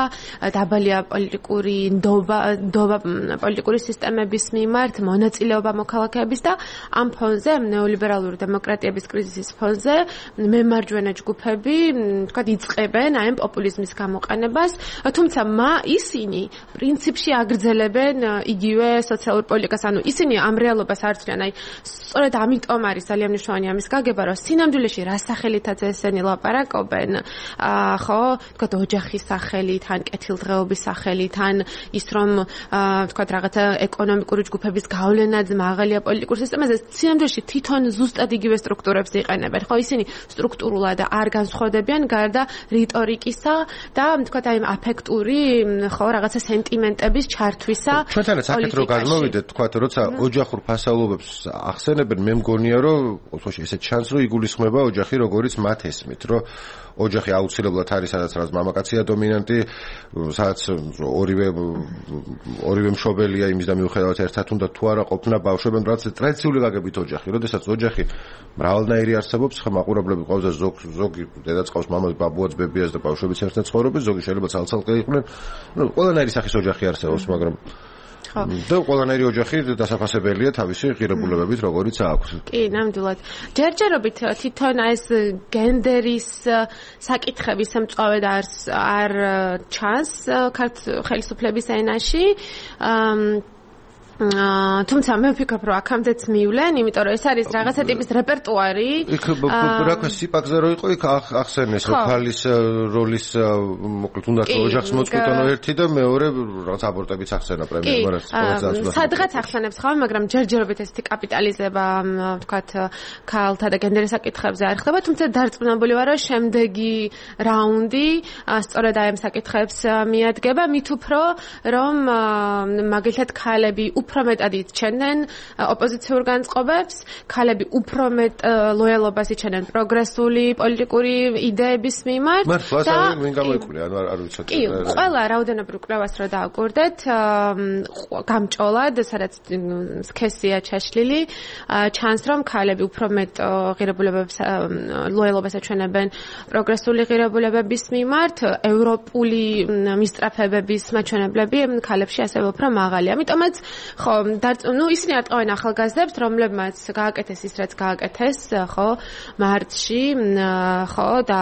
დაბალია პოლიტიკური ნდობა პოლიტიკური სისტემების მიმართ, მონაწილეობა მოქალაქეების და ამ ფონზე, ნეოლიბერალური დემოკრატიების კრიზისის ფონზე, მემარჯვენე ჯგუფები, თქვათ, იწყებენ აი ამ პოპულიზმის გამოყენებას, თუმცა ისინი პრინციპში აგრძელებენ იგივე სოციალურ პოლიტიკას, ანუ ისინი ამ რეალობას არ ცვლიან, აი სწორედ ამიტომ არის ძალიან მნიშვნელოვანი ამის გაგება, რომ სინამდვილეში რა სახელითაც ესენი ლაპარაკობენ, ხო, თქვათ, ოჯახის სახელით, ან კეთილდღეობის სახელით, ან ის რომ თქვათ რაღაცა ეკონომიკური ჯგუფების გავლენად მაღალია პოლიტიკურ სისტემაზე, სინამდვილეში თვითონ ზუსტად იგივე სტრუქტურებს იყენებენ, ხო, ისინი სტრუქტურულად არ განსხვავდებიან გარდა რიტორიკისა და თქვათ აი აფექტური, ხო, რაღაცა სენტიმენტების ჩართვისა. ჩვენთანაც აქეთ რო გადმოვიდეთ, თქვათ, როცა ოჯახურ ფასეულობებს ახსენებენ, მე მგონია, რომ ოთოში ესეთ ჩანს, რომ იგულისხმება ოჯახი, როგორც მათ ესმით, რომ ოჯახი აუცილებლად არის სადაც რაც მამაკაცია დომინანტი, სადაც ორივე მშობელია იმის და მიუხედავად ერთად უნდა თუ არა ყოფნა ბავშვებთან, რაც ტრადიციული გაგებით ოჯახი, როდესაც ოჯახი მრავალნაირი არსებობს, ხა მაყურებლები ყავს და ზოგი დედაც ყავს მამას, ბაბუაც, ბებიას და ბავშვებიც ერთად ცხოვრობენ, ზოგი შეიძლება ცალ-ცალკე იყვნენ. ყველანაირი სახის ოჯახი არსებობს, მაგრამ და ყველანაირი ოჯახი დასაფასებელია თავისი ღირებულებებით, როგორიც აქვს. კი, ნამდვილად. ჯერჯერობით თვითონ ეს გენდერის საკითხების მწვავე და არ ჩანს ხელისუფლების ენაში. თუმცა მე ვფიქრობ, რომ აქამდეც მივლენ, იმიტომ რომ ეს არის რაღაცა ტიპის რეპერტუარი. იქ რა ქვია, სიპაკზე რო იყო, იქ ახსენეს, რომ ქალის როლის მოკლედ უნდა ოჯახს მოწყვეტანო ერთი და მეორე რაღაც აბორტებიც ახსენა პრემიერმა, რაც სადღაც ახსენებს ხომ, მაგრამ ჯერჯერობით ესეთი კაპიტალიზება, ვთქვათ, ქალთა და გენდერის საკითხებზე არ ხდება, თუმცა დარწმუნებული ვარ, რომ შემდეგი რაუნდი სწორედ აი ამ საკითხებს მიადგება, მით უფრო რომ მაგალითად ქალები უფრო მეტად იჩენენ ოპოზიციურ განწყობებს, ქალები უფრო მეტ ლოიალობას იჩენენ პროგრესული პოლიტიკური იდეების მიმართ. და ვინ გამოიკვლინა, ანუ არ ვიცოდი. კი, ყველა რაოდენობრივ კვლევას რო დააკვირდეთ, გამჭოლად, სადაც სქესია ჩაშლილი, ჩანს რომ ქალები უფრო მეტ ღირებულებებს ლოიალობას აჩვენებენ პროგრესული ღირებულებების მიმართ, ევროპული მისწრაფებების მაჩვენებლები ქალებში ასევე უფრო მაღალია. ამიტომაც ხო, ისინი ატყავენ ახალგაზრდებს, რომლებმაც გააკეთეს ის, რაც გააკეთეს, ხო, მარტში, ხო, და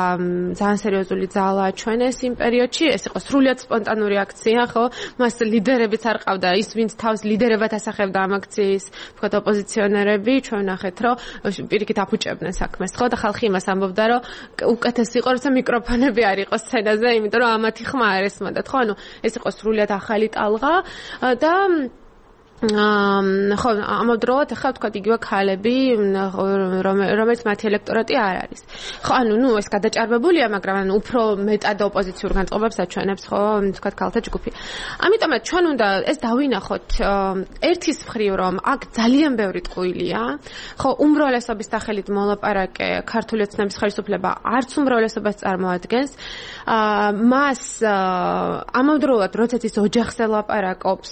ძალიან სერიოზული ძალა აჩვენეს იმ პერიოდში, ეს იყო სრულიად სპონტანური აქცია, ხო, მას ლიდერებიც არ ყავდა, ის ვინც თავს ლიდერებად ასახებდა ამ აქციის, თქვათ ოპოზიციონერები, ჩვენ ნახეთ, რომ პირიქით აფუჭებდნენ საქმეს, ხო, და ხალხი იმას ამბობდა, რომ უკეთესი იყო, როცა მიკროფონები არ იყო სცენაზე, იმიტომ რომ ამათი ხმა არ ესმოდათ, ხო, ანუ ეს იყო სრულიად ახალი ტალღა და ხო, ამავდროულად ახლა ვთქვათ იგივე ქალები, რომელიც მათი ელექტორატი არ არის. ხო, ანუ ეს გადაჭარბებულია, მაგრამ უფრო მეტად ოპოზიციურ განწყობებს აჩვენებს, ხო, ვთქვათ ქალთა ჯგუფი. ამიტომაც ჩვენ უნდა ეს დავინახოთ ერთის მხრივ, რომ აქ ძალიან ბევრი ტყუილია, ხო, უმრავლესობის სახელით მოლაპარაკე ქართული ოცნების ხელისუფლება არც უმრავლესობას წარმოადგენს. მას ამავდროულად, როდესაც ის ოჯახს ელაპარაკობს,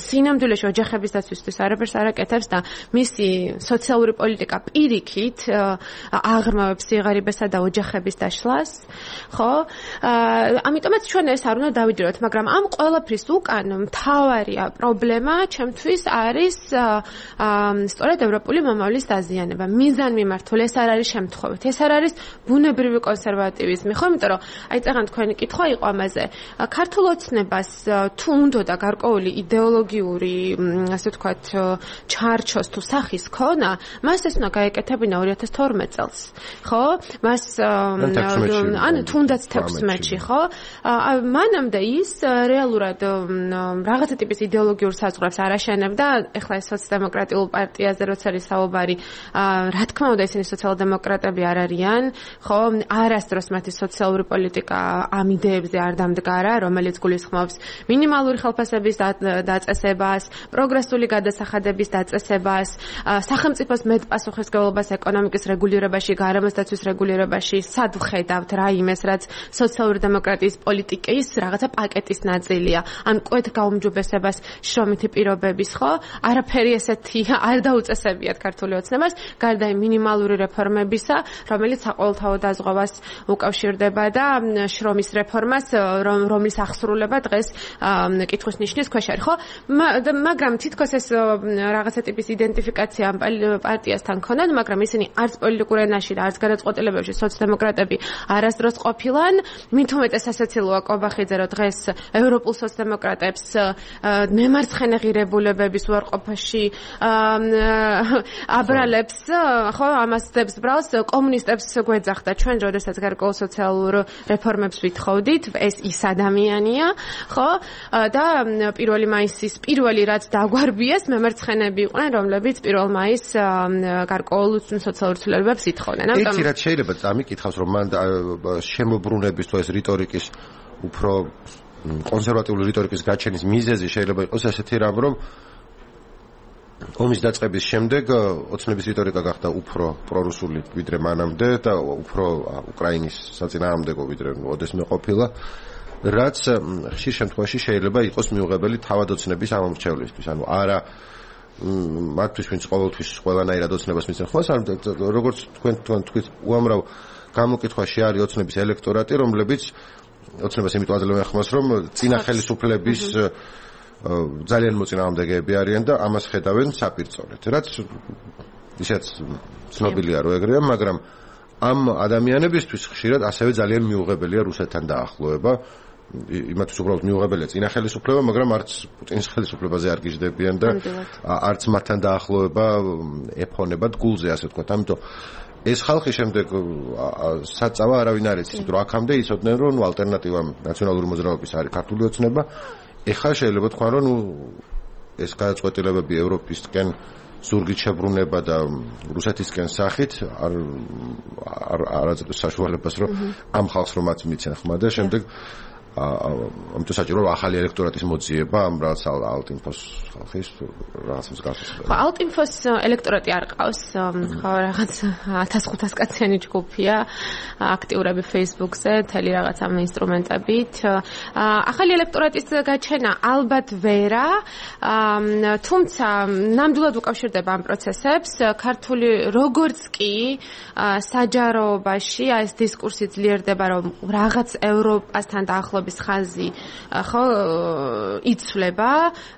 სინამდვილეში ოჯახების დაცვისთვის არაფერს არ აკეთებს და მისი სოციალური პოლიტიკა პირიქით აღრმავებს სიღარიბესა და ოჯახების დაშლას, ხო? ამიტომაც ჩვენ ეს არ უნდა დავიჯეროთ, მაგრამ ამ ყველაფრის უკან მთავარია პრობლემა ჩემთვის არის სწორედ ევროპული მომავლის დაზიანება. მიზან მიმართულ ეს არ არის შემთხვევით, ეს არ არის ბუნებრივი კონსერვატივიზმი, ხო? იმიტომ რომ აი წაღან თქვენი კითხვა იყო ამაზე. ქართულ ოცნებას თუ უნდა გარკვეული იდეოლოგიური ასე ვთქვათ, ჩარჩოს თუ სახის ქონა, მას ეს უნდა გაეკეთებინა 2012 წელს, ხო? მას ანუ თუნდაც 16-ში, ხო? მანამდე ის რეალურად რაღაცა ტიპის იდეოლოგიურ საზღვრებს არ აშენებდა, ეხლა ეს სოციალ-დემოკრატიულ პარტიაზე როცა არის საუბარი, რა თქმა უნდა ისინი სოციალ-დემოკრატები არ არიან, ხო? არასდროს მათი სოციალური პოლიტიკა ამ იდეებზე არ დამდგარა, რომელიც გულისხმობს მინიმალური ხელფასების დაწესებას, პროგრესული გადასახადების დაწესებას, სახელმწიფოს მეტპასუხისმგებლობას ეკონომიკის რეგულირებაში, გარემოს დაცვის რეგულირებაში, სად ვხედავთ რა იმეს, რაც სოციალური დემოკრატიის პოლიტიკის რაღაცა პაკეტის ნაწილია, ან კვეთ გაუმჯობესებას შრომითი პირობების, ხო? არაფერი ესეთი არ დაუწესებიათ ქართული ოცნებას, გარდა მინიმალური რეფორმებისა, რომელიც საყოველთაო დაზღვევას უკავშირდება და შრომის რეფორმას, რომლის აღსრულება დღეს კითხვის ნიშნის ქვეშ არის, ხო? მაგრამ თითქოს ეს რაღაცა ტიპის იდენტიფიკაცია პარტიასთან ქონან, მაგრამ ისინი არც პოლიტიკურ ენაში და არც გადაწყვეტილებებში სოციალ-დემოკრატები არასდროს ყოფილან. მით უმეტეს ასაცილოა კობახიძე, რომ დღეს ევროპულ სოციალ-დემოკრატებს მემარცხენე ღირებულებების უარყოფაში აბრალებს, ხო, ამას დებს ბრალს, კომუნისტებს გვეძახდა ჩვენ, როდესაც გარკვეულ სოციალურ რეფორმებს ვითხოვდით, ეს ის ადამიანია, ხო? და 1 მაისის პირველი რაც დაგვარბიეს მემარცხენეები იყვნენ, რომლებიც 1 მაისს გარკვეულ სოციალურ ცვლილებებს ითხოვდნენ. ერთი რაც შეიძლება წამიკითხავს, რომ მან შემოbrunების თუ ეს რიტორიკის უფრო კონსერვატიული რიტორიკის გაჩენის მიზეზი შეიძლება იყოს ესეთი რამ, რომ ომის დაწყების შემდეგ ოცნების რიტორიკა გახდა უფრო პრორუსული ვიდრე მანამდე და უფრო უკრაინის საწინააღმდეგო ვიდრე ოდესმე ყოფილა, რაც ხშირ შემთხვევაში შეიძლება იყოს მიუღებელი თავად ოცნების ამომრჩევლისთვის. ანუ არა მათთვის, ვინც ყოველთვის ყველანაირად ოცნებას მისცენ ხმას, როგორც თქვენ თქვით, უამრავ გამოკითხვაში არის ოცნების ელექტორატი, რომლებიც ოცნებას იმიტომ აძლევენ ხმას, რომ წინა ხელისუფლების ძალიან მოწინააღმდეგეები არიან და ამას ხედავენ საპირწონედ. რაც ისეც ცნობილია რომ ეგრეა, მაგრამ ამ ადამიანებისთვის ხშირად ასევე ძალიან მიუღებელია რუსეთთან დაახლოება. იმათთვის უბრალოდ მიუღებელია წინა ხელისუფლება, მაგრამ არც პუტინის ხელისუფლებაზე არ გიждდებიან და არც მათთან დაახლოება ეფონებათ გულზე, ასე ვთქვათ. ამიტომ ეს ხალხი შემდეგ საწავა არავინ არ იცის, რომ აქამდე იცოდნენ, რომ ალტერნატივა ნაციონალური მოძრაობის არის ქართული ოცნება. ეხლა შეიძლება თქვა, რომ ეს გადაწყვეტილებები ევროპისკენ ზურგით შებრუნება და რუსეთისკენ სახით არ აძლევს საშუალებას, რომ ამ ხალხს რომ მათ მიცენ ხმა და შემდეგ ამიტომ საჭირო ახალი ელექტორატის მოძიება ამ რაღაც ალტინფოს ხალხის რაღაც მსგავსად. ხო, ალტინფოს ელექტორატი არ ყავს, ხო, რაღაც 1500 კაციანი ჯგუფია, აქტიურები Facebook-ზე, თელი რაღაც ამ ინსტრუმენტებით. ახალი ელექტორატის გაჩენა ალბათ ვერა, თუმცა ნამდვილად უკავშირდება ამ პროცესებს. ქართული როგორც კი საჯაროობაში ეს დისკურსი ძლიერდება, რომ რაღაც ევროპასთან დაახლოებით ხაზი ხო იცვლება,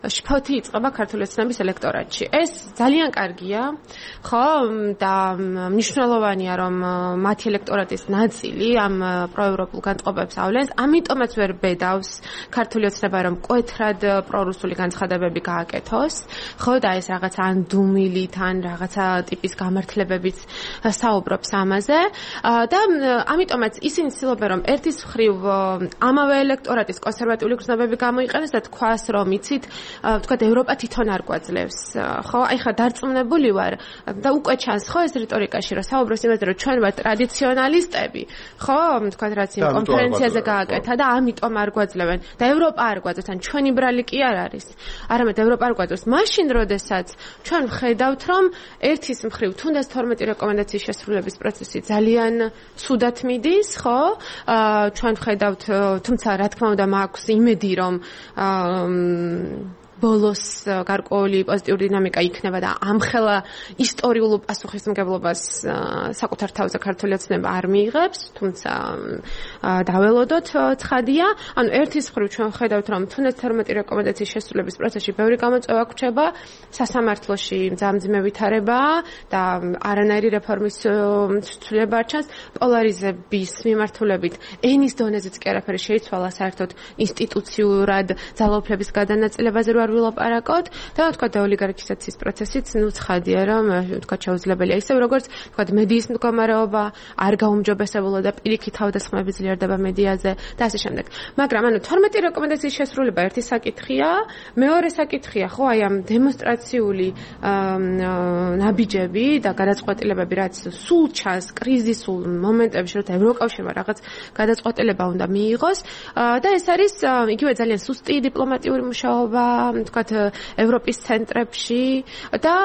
შფოთი იწყება ქართული ოცნების ელექტორატში. ეს ძალიან კარგია, ხო, და მნიშვნელოვანია, რომ მათი ელექტორატის ნაწილი ამ პროევროპულ განწყობებს ავლენს, ამიტომაც ვერ ბედავს ქართული ოცნება, რომ მკვეთრად პრორუსული განცხადებები გააკეთოს, ხო, და ეს რაღაც ან დუმილით, ან რაღაცა ტიპის გამართლებებით საუბრობს ამაზე, და ამიტომაც ისინი ცდილობენ, რომ ერთის მხრივ ამავე ელექტორატის კონსერვატიული გრძნობები გამოიყენეს და თქვას, რომ იცით, ვთქვათ, ევროპა თვითონ არ გვაძლევს, ხო? აი ხა დარწმუნებული ვარ და უკვე ჩანს, ხო, ეს რიტორიკაში, რომ საუბრობს იმაზე, რომ ჩვენ ვართ ტრადიციონალისტები, ხო, ვთქვათ, რაც იმ კონფერენციაზე გააკეთა და ამიტომ არ გვაძლევენ და ევროპა არ გვაძლევს, ან ჩვენი ბრალი კი არ არის. არამედ ევროპა არ გვაძლევს. მაშინ, როდესაც ჩვენ ვხედავთ, რომ ერთის მხრივ თუნდაც 12 რეკომენდაციის შესრულების პროცესი ძალიან ცუდად მიდის, ხო? ჩვენ ვხედავთ, თუმცა რა თქმა უნდა მაქვს იმედი, რომ ბოლოს გარკვეული პოზიტიური დინამიკა იქნება და ამხელა ისტორიულ პასუხისმგებლობას საკუთარ თავზე ქართული ოცნება არ მიიღებს, თუმცა დაველოდოთ ცხადია. ანუ ერთის მხრივ ჩვენ ხედავთ, რომ თუნდაც 12 რეკომენდაციის შესრულების პროცესში ბევრი გამოწვევა გვჩება, სასამართლოში მძიმე ვითარება და არანაირი რეფორმის ცვლილება არ ჩანს, პოლარიზების მიმართულებით ენის დონეზეც კი არაფერი შეიცვალა საერთოდ ინსტიტუციურად ძალაუფლების გადანაწილებაზე არ ვილაპარაკოთ და თქვა და ოლიგარქიზაციის პროცესიც ნუ ცხადია რომ თქვა შეუძლებელია ისევ როგორც თქვა მედიის მდგომარეობა არ გაუმჯობესებულა და პირიქით თავდასხმები ძლიერდება მედიაზე და ასე შემდეგ. მაგრამ ანუ 12 რეკომენდაციის შესრულება ერთი საკითხია, მეორე საკითხია ხო აი ამ დემონსტრაციული ნაბიჯები და გადაწყვეტილებები რაც სულ ჩანს კრიზისულ მომენტებში რომ ევროკავშირმა რაღაც გადაწყვეტილება უნდა მიიღოს და ეს არის იგივე ძალიან სუსტი დიპლომატიური მუშაობა თქვათ ევროპის ცენტრებში და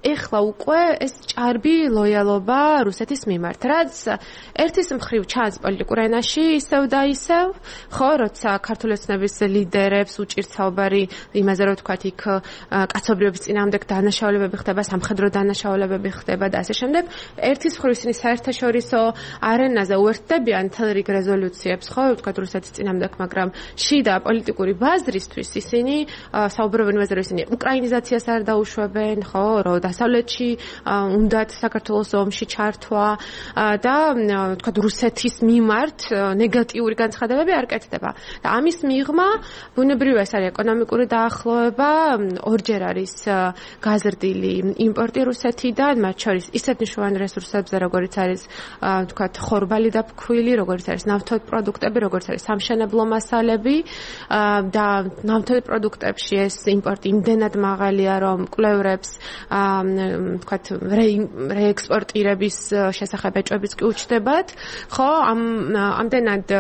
ეხლა უკვე ეს ჭარბი ლოიალობა რუსეთის მიმართ, რაც ერთის მხრივ ჩანს პოლიტიკურ ენაში ისევ და ისევ, ხო, როცა ქართული ოცნების ლიდერებს უჭირთ საუბარი იმაზე, რომ თქვათ იქ კაცობრიობის წინააღმდეგ დანაშაულებები ხდება, სამხედრო დანაშაულებები ხდება და ასე შემდეგ. ერთის მხრივ ისინი საერთაშორისო არენაზე უერთდებიან მთელ რიგ რეზოლუციებს, ხო, თქვათ რუსეთის წინააღმდეგ, მაგრამ შიდა პოლიტიკური ბაზრისთვის ისინი საუბრობენ იმაზე, რომ ისინი უკრაინიზაციას არ დაუშვებენ, ხო, რომ დასავლეთში უნდათ საქართველოს ომში ჩართვა და თქვათ რუსეთის მიმართ ნეგატიური განცხადებები არ კეთდება. და ამის მიღმა ბუნებრივია ეს არის ეკონომიკური დაახლოება, ორჯერ არის გაზრდილი იმპორტი რუსეთიდან, მათ შორის ისეთ მნიშვნელოვან რესურსებზე, როგორც არის თქვათ ხორბალი და ფქვილი, როგორც არის ნავთობპროდუქტები, როგორც არის სამშენებლო მასალები და ნავთობპროდუქტებში ეს იმპორტი იმდენად მაღალია, რომ კვლევრებს თქვათ რეექსპორტირების შესახებ ეჭვებიც კი უჩნდებათ, ხო, ამდენად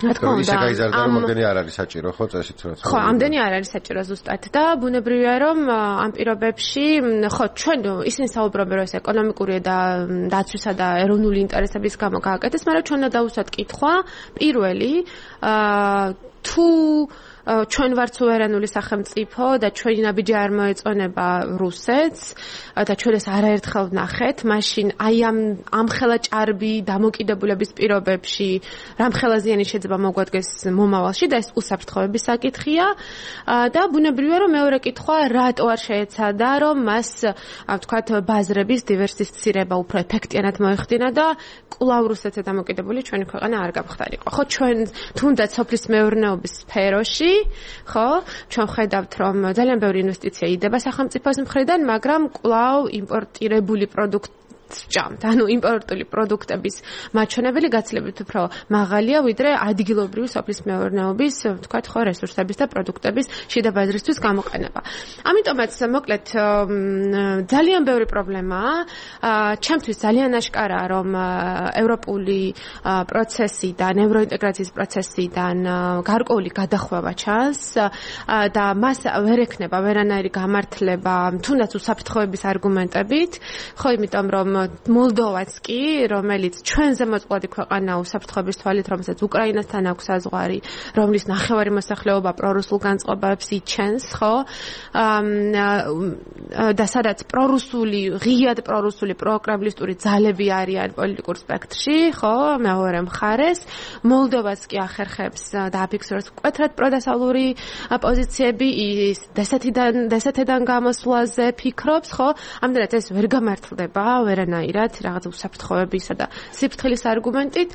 ისე გაიზარდა რომ ამდენი არ არის საჭირო ხო წესით რა ხო ამდენი არ არის საჭირო ზუსტად და ბუნებრივია რომ ამ პირობებში ხო ჩვენ ისინი საუბრობენ რომ ეს ეკონომიკური და დაცვისა და ეროვნული ინტერესების გამო გააკეთეს მაგრამ ჩვენ უნდა დავუსვათ კითხვა პირველი თუ ჩვენ ვართ სუვერენული სახელმწიფო და ჩვენი ნაბიჯი არ მოეწონება რუსეთს და ჩვენ ეს არაერთხელ ვნახეთ, მაშინ აი ამ ხელა ჭარბი დამოკიდებულების პირობებში რამხელა ზიანი შეიძლება მოგვადგეს მომავალში და ეს უსაფრთხოების საკითხია და ბუნებრივია რომ მეორე კითხვა რატო არ შეეცადა რომ მას ვთქვათ ბაზრების დივერსიფიცირება უფრო ეფექტიანად მოეხდინა და კვლავ რუსეთზე დამოკიდებული ჩვენი ქვეყანა არ გამხდარიყო. ხო ჩვენ თუნდაც სოფლის მეურნეობის სფეროში ხო ჩვენ ხედავთ რომ ძალიან ბევრი ინვესტიცია იდება სახელმწიფოს მხრიდან მაგრამ კვლავ იმპორტირებული პროდუქტი ჭამთ. ანუ იმპორტული პროდუქტების მაჩვენებელი გაცილებით უფრო მაღალია ვიდრე ადგილობრივი სოფლის მეურნეობის ვთქვათ ხო რესურსების და პროდუქტების შიდა ბაზრისთვის გამოყენება. ამიტომაც მოკლედ ძალიან ბევრი პრობლემაა. ჩემთვის ძალიან აშკარაა რომ ევროპული პროცესიდან, ევროინტეგრაციის პროცესიდან გარკვეული გადახვევა ჩანს და მას ვერ ექნება ვერანაირი გამართლება თუნდაც უსაფრთხოების არგუმენტებით. ხო იმიტომ რომ მოლდოვაც კი, რომელიც ჩვენზე მოწყვლადი ქვეყანაა უსაფრთხოების თვალით, რომელსაც უკრაინასთან აქვს საზღვარი, რომლის ნახევარი მოსახლეობა პრორუსულ განწყობებს იჩენს, ხო? და სადაც ღიად პრორუსული პროკრემლისტური ძალები არიან პოლიტიკურ სპექტრში, ხო, მეორე მხარეს, მოლდოვაც კი ახერხებს და აფიქსირებს მკვეთრად პროდასალური პოზიციები, ის დსთ-დან გამოსვლაზე ფიქრობს, ხო? ამდენად ეს ვერ გამართლდება, ვერანაირად რაღაც უსაფრთხოებისა და სიფრთხილის არგუმენტით,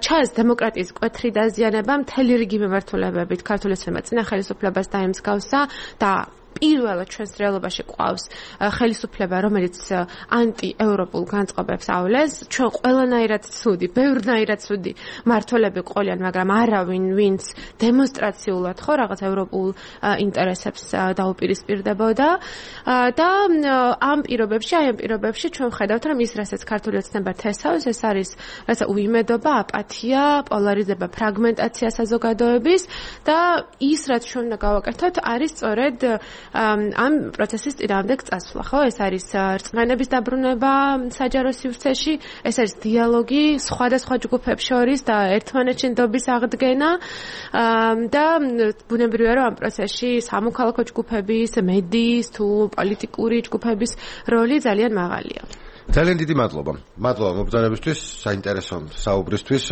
ჩანს დემოკრატიის მკვეთრი დაზიანება მთელი რიგი მიმართულებებით ქართული ოცნება წინა ხელისუფლებას დაემსგავსა და პირველად ჩვენს რეალობაში ყავს ხელისუფლება, რომელიც ანტიევროპულ განწყობებს ავლენს. ჩვენ ყველანაირად ცუდი, ბევრნაირად ცუდი მმართველები ყოლიან, მაგრამ არავინ, ვინც დემონსტრაციულად ხო რაღაც ევროპულ ინტერესებს დაუპირისპირდებოდა და ამ პირობებში ჩვენ ხედავთ, რომ ის რასაც ქართული ოცნება თესავს, ეს არის რაცა უიმედობა, აპათია, პოლარიზება, ფრაგმენტაცია საზოგადოების და ის რაც ჩვენ უნდა გავაკეთოთ, არის სწორედ ამ პროცესის წინააღმდეგ წასვლა, ხო? ეს არის რწმენების დაბრუნება საჯარო სივრცეში, ეს არის დიალოგი სხვადასხვა ჯგუფებს შორის და ერთმანეთში ნდობის აღდგენა და ბუნებრივია რომ ამ პროცესში სამოქალაქო ჯგუფების, მედიის თუ პოლიტიკური ჯგუფების როლი ძალიან მაღალია. ძალიან დიდი მადლობა. მადლობა მობრძანებისთვის, საინტერესო საუბრისთვის.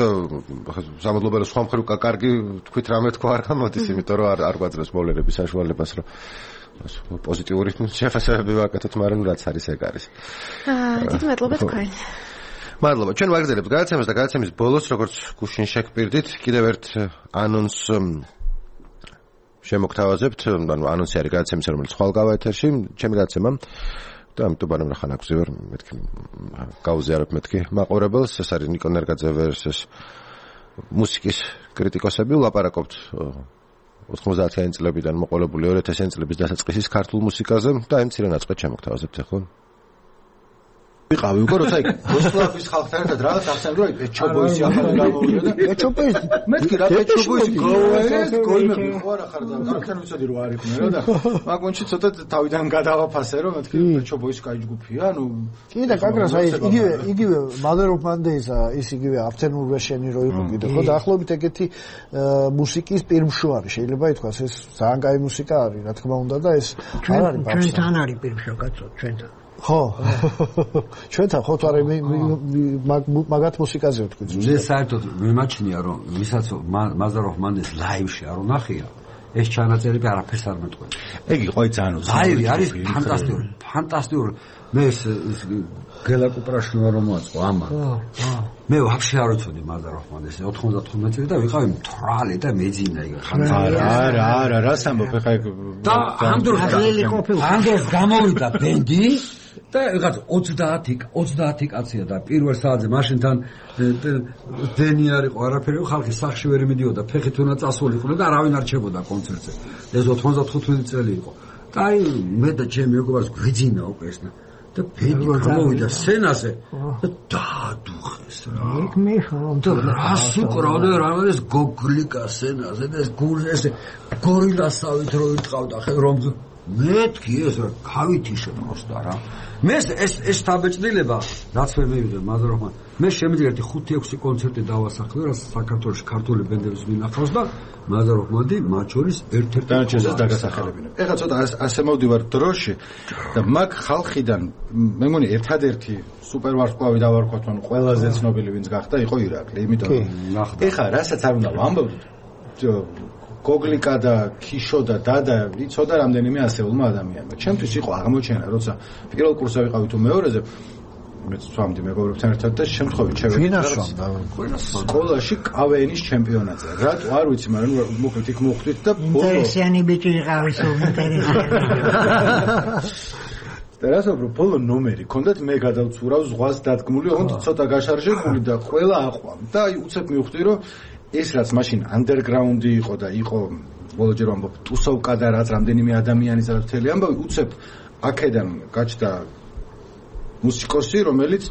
სამადლობა რომ სხვა მხრივ კარგი თქვით რამე თქვა არ გამოდის, იმიტომ რომ არ გვაძლევს მოვლენების საშუალებას, რომ პოზიტიური შეფასებები ვაკეთოთ, მაგრამ რაც არის ეგ არის. დიდი მადლობა თქვენ. მადლობა. ჩვენ ვაგრძელებთ გადაცემას და გადაცემის ბოლოს, როგორც გუშინ შეგპირდით, კიდევ ერთ ანონს შემოგთავაზებთ, ანუ ანონსი არის გადაცემისა, რომელიც ხვალ გავა ეთერში, ჩემი გადაცემა და ამიტომ ბანემ რა ხან აქვზივარ, მეთქი გავუზიარებ მეთქი მაყურებელს, ეს არის ნიკო ნერგაძე-ვერსეს მუსიკის კრიტიკოსები, ვლაპარაკობთ 90-იანი წლებიდან მოყოლებული 2000-იანი წლების დასაწყისის ქართულ მუსიკაზე და აი მცირე ნაწყვეტ შემოგთავაზებთ ახლა. ვიყავი უკვე როცა იქ როსლავის ხალხთან ერთად რაღაც ახსენე რომ პეჩობოისი ახალი გამოვიდა და პეჩობოისი მეთქი რა პეჩობოისი გოიმე ხო არა ხარ და ამიტომ ვიცოდი რომ არ იყვნენ და მაგონში ცოტა თავიდან გადავაფასე რომ მეთქი პეჩობოისი კაი ჯგუფია ანუ კი და კაკრას აი იგივე Mother of Mondays ის იგივე Afternoon Version-ი რო იყო კიდე ხო დაახლოებით ეგეთი მუსიკის პირმშოარი შეიძლება ითქვას ეს ძალიან კაი მუსიკა არის რა თქმა უნდა და ეს არ არის ბაბსა ჩვენთან არის პირმშო კაცო ჩვენთან ხო ჩვენთან ხო თორე მაგათ მუსიკაზე ვთქვი მე საერთოდ მიმაჩნია რომ ვისაც Mother of Mondays live-ში არ უნახია ეს ჩანაწერები არაფერს არ მეტყვი ეგ იყო ძალიან ლაივი არის ფანტასტიკური მე ეს გელა კუპრაშვილმა რომ მოაწყო ამან მე ვაფშე არ ვიცოდი Mother of Mondays 95 წელი და ვიყავი მთვრალი და მეძინა იქ არა რას ამბობ ხა და ამ დროს გამოვიდა ბენდი და რაღაც 30 კაცია და პირველ საათზე მაშინთან დენი არ იყო არაფერი ხალხი სახში ვერ მიდიოდა ფეხით უნდა წასულიყო და არავინ არ რჩებოდა კონცერტზე ეს 95 წელი იყო და აი მე და ჩემი მეგობარს გვიძინა უკვე ეს და ბენდი გამოვიდა სცენაზე და დაადუხეს რა. იქ მე ხომ და რას უკრავდა რაღაც გოგლიკა სცენაზე და ეს გულზე გორილასავით რო იტყავდა ხე რომ მეთქი ეს რა გავითიშე პროსტა რა. მე ეს თაბეჭდილება რაც ვერ მივიღე მაზროხმა. მე შემიძლია 5-6 კონცერტი დავასახლე რა საქართველოს ქართული ბენდების მინახავს და მაზროხმადი მათ შორის ერთ-ერთი დანარჩენს დაგასახელებინა. ეხლა ცოტა ასე მოვდივარ დროში და მაგ ხალხიდან მე მგონი ერთადერთი სუპერ ვარსკვლავი დავარქვათ ან ყველაზე ცნობილი ვინც გახდა იყო ირაკლი. იმიტომ ეხლა რასაც არ უნდა ვამბობთ გოგლიკა და ქიშო და დადა იცოდა რამდენიმე ასეულმა ადამიანმა. ჩემთვის იყო აღმოჩენა, როცა პირველ კურსზე ვიყავი თუ მეორეზე მეც ვამდი მეგობრებთან ერთად და შემთხვევით შევედი სკოლაში კავენის ჩემპიონატზე. რატო არ ვიცი, მაგრამ მოკლედ იქ მოხვდით და ინტერესიანი ბიჭი ვიყავი, სულ ინტერესიანი. და რასაც ბოლო ნომერი ქონდათ მე გადავცურავ ზღვას დადგმული, ოღონდ ცოტა გაშარჟებული და ყველა აყვამ და აი უცებ მივხვდი რომ ეს რაც მაშინ ანდერგრაუნდი იყო და იყო ბოლოჯერ ვამბობ ტუსოვკა და რაც რამდენიმე ადამიანის მთელი ამბავი უცებ აქედან გაჩნდა მუსიკოსი რომელიც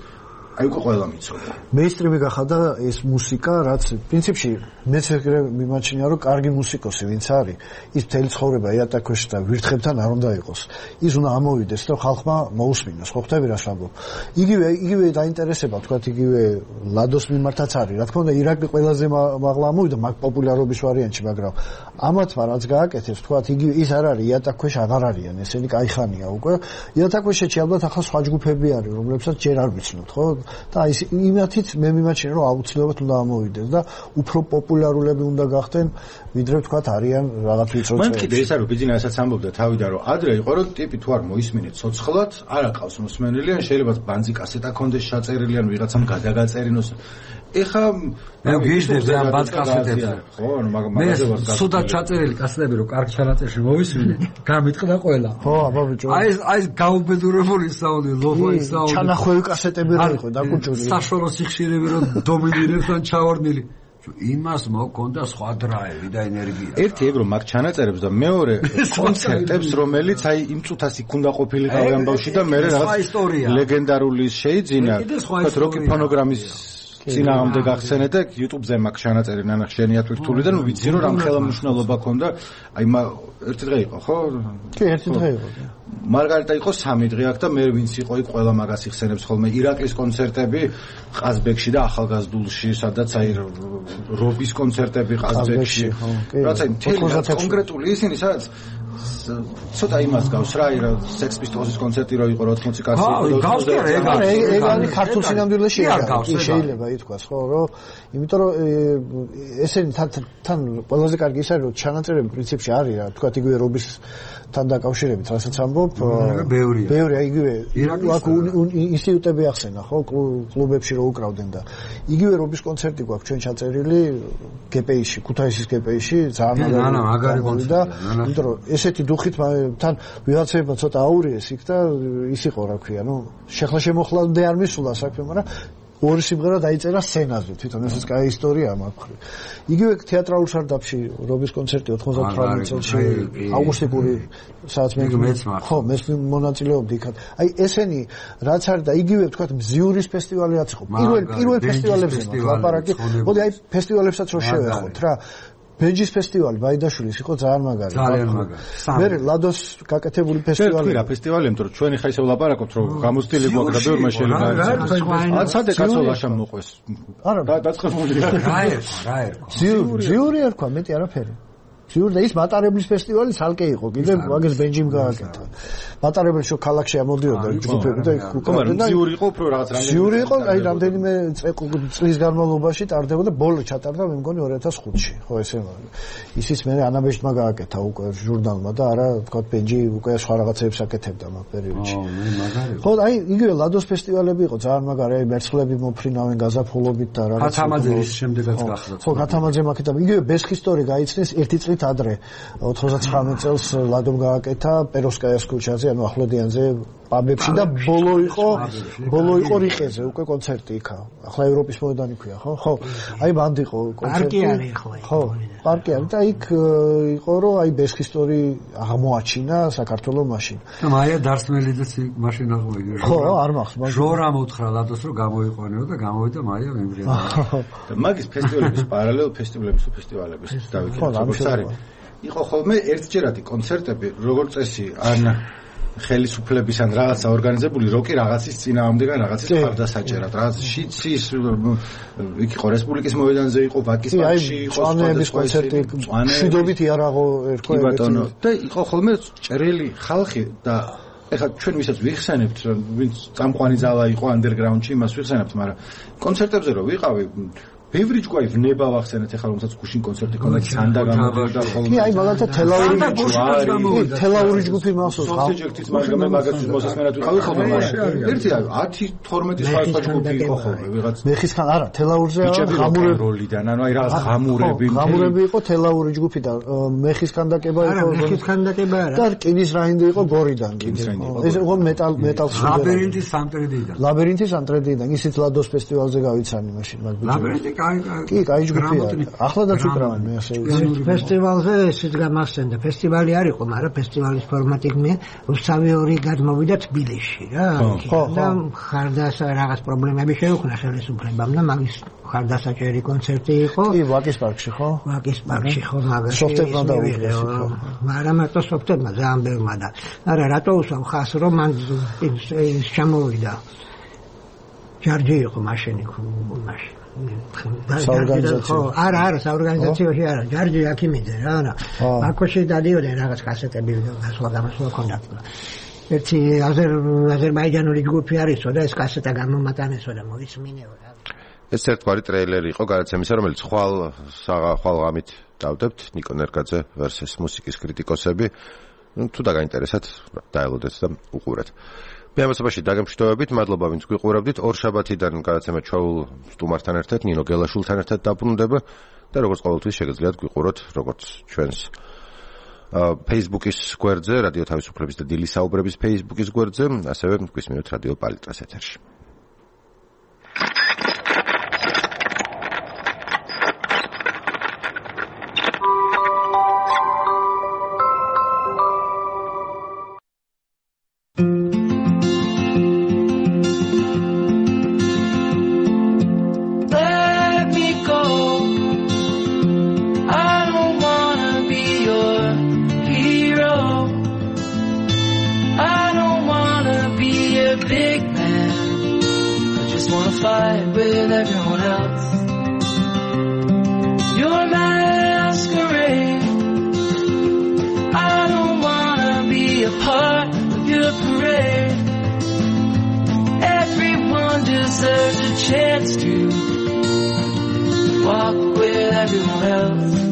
აი უკვე ყველა მიცოდა. მეინსტრიმი გახადა ეს მუსიკა, რაც პრინციპში მეც ეგრე მიმაჩნია, რომ კარგი მუსიკოსი ვინც არის, ის მთელი ცხოვრება იატაკქვეშ და ვირთხებთან არ უნდა იყოს. ის უნდა ამოვიდეს და ხალხმა მოусმინოს. ხო ხვდები რას ვამბობ? იგივე დაინტერესება, თქვათ იგივე ლადოს მიმართაც არის. რა თქმა უნდა, ირაკლი ყველაზე მაღლა ამოვიდა მაგ პოპულარობის ვარიანტში, მაგრამ ამათმა რაც გააკეთეს, თქვათ იგივე ის არ არის იატაკქვეშ აღარ არიან, ესენი кайხანია უკვე. იატაკქვეშში ალბათ ახლა სხვა ჯგუფები არის, რომლებსაც ჯერ არ ვიცნობთ, ხო? და ის იმათიც მე მიმაჩნია რომ აუცილებლად უნდა ამოვიდეს და უფრო პოპულარულები უნდა გახდნენ ვიდრე ვთქვათ არიან რაღაც ვიწრო წელი. მან კიდე ეს არის ბიზნესაც ამბობდა თავიდან რომ ადრე იყო რომ ტიპი თუ არ მოისმინეთ ცოცხლად არ აყავს მოსმენელი ან შეიძლება ბანძი კასეტა კონდეს ჩაწერილი ან ვიღაცამ გადაგაწერინოს. ეხა მე გიჟდებს ამ ბანძ კასეტებზე. ხო, ანუ მაგაზე ვარ გასული. სუდა ჩაწერილი კასეტები რომ კარგ ჩანაწერში მოვისმინე, გამიტყდა ყველა. ხო, აბა ბიჭო. აი ეს გაუბედურებული საუნდი, ლოფოი საუნდი. ჩანახვევი კასეტები რა იყო დაკუჭული. საშუალო სიხშირები რომ დომინირებს ან ჩავარდნილი. იმას მოკონდა სხვა დრაივი და ენერგია. ერთი ეგ რომ მაგ ჩანაწერებს და მეორე კონცერტებს რომელიც აი იმ წუთას იქ უნდა ყოფილიყავი ამბავში და მე რაღაც ლეგენდარული შეიძინა. თქვათ როკი ფონოგრამის წინააღმდეგ გახსენეთ და YouTube-ზე მაგ ჩანაწერი ნანა ხშენია თვითულიდან ვიცი რომ რამ ხელმძღვანელობა ქონდა აი ერთი დღე იყო ხო? კი ერთი დღე იყო. მარგარიტა იყო 3 დღე აქ და მე ვინც იყო იქ ყველა მაგას იხსენებს ხოლმე ირაკლის კონცერტები ყაზბეგში და ახალგაზრდულში სადაც აი რობის კონცერტები ყაზბეგში რაც აი კონკრეტული ისინი სადაც ცოტა იმას გავს რა ირა Sex Pistols-ის კონცერტი რო იყო 80 კაცი ეგ არის ქართულ სინამდვილეში შეიძლება ითქვას ხო რომ იმიტომ რომ ესენი თან ყველაზე კარგი ის არის რომ ჩანაწერები პრინციპში არის რა თქვა იგივე რობის თან დაკავშირებით რასაც ამბობ ბევრია იგივე აქ ინსტიტუტები ახსენა ხო კლუბებში რო უკრავდნენ და იგივე რობის კონცერტი გვაქვს ჩვენ ჩაწერილი გპ-ში ქუთაისის გპ-ში ძალიან მაგარი და იმიტომ რომ ესეთი დუხით თან ვიღაცებმა ცოტა აურიეს იქ და ის იყო რა ქვია ნუ შეხლა შემოხლამდე არ მისულა საქმე მაგრამ ორი სიმღერა დაიწერა სცენაზე თვითონ ესეც კაი ისტორია მაქვს. იგივე თეატრალურ სარდაფში რობის კონცერტი 98 წელს აუგუსტიკური სადაც ხო მე მონაწილეობდი იქ. აი ესენი რაც არის და იგივე თქვა მზიურის ფესტივალიც იყო. პირველ ფესტივალებზე ლაპარაკი. მოდი აი ფესტივალებსაც რო შევეხოთ რა. ბენჯის ფესტივალი ბაიდაშვილის იყო ძალიან მაგარი. ძალიან მაგარი. მე ლადოს გაკეთებული ფესტივალი. რა ფესტივალი, იმიტომ რომ ჩვენი ხა ისე ვლაპარაკობთ, რომ გამოცდილი გვაქვს და ბევრმა შეიძლება. ან სადე კაცოლაშა მოყვეს. არა, დაწყებულია. რა ერქვა. ზიური ერქვა, მეტი არაფერი. ზიური და ის მატარებლის ფესტივალი ცალკე იყო. კიდე მაგას ბენჯიმ გააკეთა. მატარებელში ქალაქში ამოდიოდა ჯგუფები და უკრავდნენ და ზიური იყო უფრო რაღაც რამდენიმე. ზიური იყო, აი რამდენიმე წლის განმავლობაში ტარდებოდა, ბოლო ჩატარდა მე მგონი 2005-ში. ხო ესე ისიც მე ანაბეშტმა გააკეთა უკვე ჟურნალმა და არა თქვა ბენჯი უკვე სხვა რაღაცებს აკეთებდა მაგ პერიოდში. ხო, აი იგივე ლადოს ფესტივალები იყო ძალიან მაგარი, აი მერცხლები მოფრინავენ გაზაფხულობით და რაღაც. ხათამაძის შემდეგაც გახდა. ხო, ხათამაძემ აკეთა. იგივე ბესხის სტორი გაიცნეს ერთი წლის გაგიჟღერდით ადრე 99 წელს ლადომ გააკეთა პეროვსკაიას ქუჩაზე, ანუ ახლოდიანზე პაბებში და ბოლო იყო რიყეზე უკვე კონცერტი იქა. ახლა ევროპის მოედანი ქვია, ხო? ხო. აი მანდ იყო კონცერტი. პარკი არის ახლა. ხო, პარკი არის და იქ იყო რომ აი ბესხისტორი აღმოაჩინა საქართველოს მაშინ. და მაია დარსმელიძეც მაშინ აღმოიგე. ხო, არ მახსოვს. ჟორა მოთხრა ლადოს რომ გამოიყვანეო და გამოვიდა მაია მემრიალა. და მაგის ფესტივალების პარალელ ფესტივალების დავიქეთ როგორც არის. იყო ხოლმე ერთჯერადი კონცერტები, როგორც წესი, ან ხელისუფლების ან რაღაცა ორგანიზებული როკი რაღაცის წინააღმდეგან რაღაცის ხარდასაჭერად, რაღაც შიცის იქ იყო რესპუბლიკის მოედანზე იყო, ვაკის პარკში იყო, წვანების კონცერტი, შვიდობით იარაღო ერქვა ბატონო და იყო ხოლმე ჭრელი ხალხი და ეხლა ჩვენ ვისაც ვიხსენებთ, ვინც წამყვანი ძალა იყო ანდერგრაუნდში, იმას ვიხსენებთ, მაგრამ კონცერტებზე რო ვიყავი ბევრი ჯგუფი ვნება ვახსენეთ ახლა რომელსაც გუშინ კონცერტი ქონდა სანდა გამოვიდა ხოლმე. კი, აი მაგალითად თელაური ჯგუფი მახსოვს. სოციალისტის მაგრამ მაგათთვის მოსასმენად ვიყავი ხოლმე. ერთი 10-12 სხვა ჯგუფი იყო ხოლმე ვიღაც. მეხისგან არა, თელაურზე როლიდან, ანუ აი რაღაც ღამურები იყო თელაური ჯგუფი და მეხისგან დაკება იყო. არა, მეხისგან დაკება არა. და კინის რაინდი იყო გორიდან. ეს იყო მეტალს. ლაბირინთის ანტრედიდან. ისიც ლადოს ფესტივალზე გავიცანი მაშინ მაგ ბიჭებს. კი, კაი ჯგუფია. ახლადაც უკრავენ მე ასე ვიცი. ფესტივალზე ისიც გამახსენდა. ფესტივალი არ იყო, მაგრამ ფესტივალის ფორმატი მე რუსთავი ორი გადმოვიდა თბილისში რა. და ხარდასა რაღაც პრობლემები შეუქმნა ხელისუფლებამ და მაგის ხარდასაჭერი კონცერტი იყო. კი, ვაკის პარკში ხო? ვაკის პარკში ხო, მაგაში. სოფტებმა დაუღეს ხო. მაგრამ მარტო სოფტებმა ძალიან ბევრმა და არა რატო უსვამ ხას რომ მან ჩამოვიდა. ჯარჯი იყო მაშინ მაშინ არა საორგანიზაციაში არა ჯარჯი აქიმიძე რა არა ბაქოში დადიოდნენ რაღაც კასეტები გასვლა ქონდა ერთი აზერბაიჯანული ჯგუფი არისო და ეს კასეტა გამომატანესო და მოისმინეო რა ეს ერთგვარი ტრეილერი იყო გადაცემისა რომელიც ხვალ ღამით დავდებთ ნიკო ნერგაძე ვერსეს მუსიკის კრიტიკოსები თუ დაგაინტერესათ დაელოდეთ და უყურეთ ბიამასობაში დაგემშვიდობებით, მადლობა ვინც გვიყურებდით. ორშაბათიდან გადაცემა ჩვეულ სტუმართან ერთად, ნინო გელაშვილთან ერთად დაბრუნდება და როგორც ყოველთვის შეგიძლიათ გვიყუროთ, როგორც ჩვენს Facebook-ის გვერდზე, რადიო თავისუფლების და დილის საუბრების Facebook-ის გვერდზე, ასევე გვისმინოთ რადიო პალიტრას ეთერში. Deserves a chance to walk with everyone else.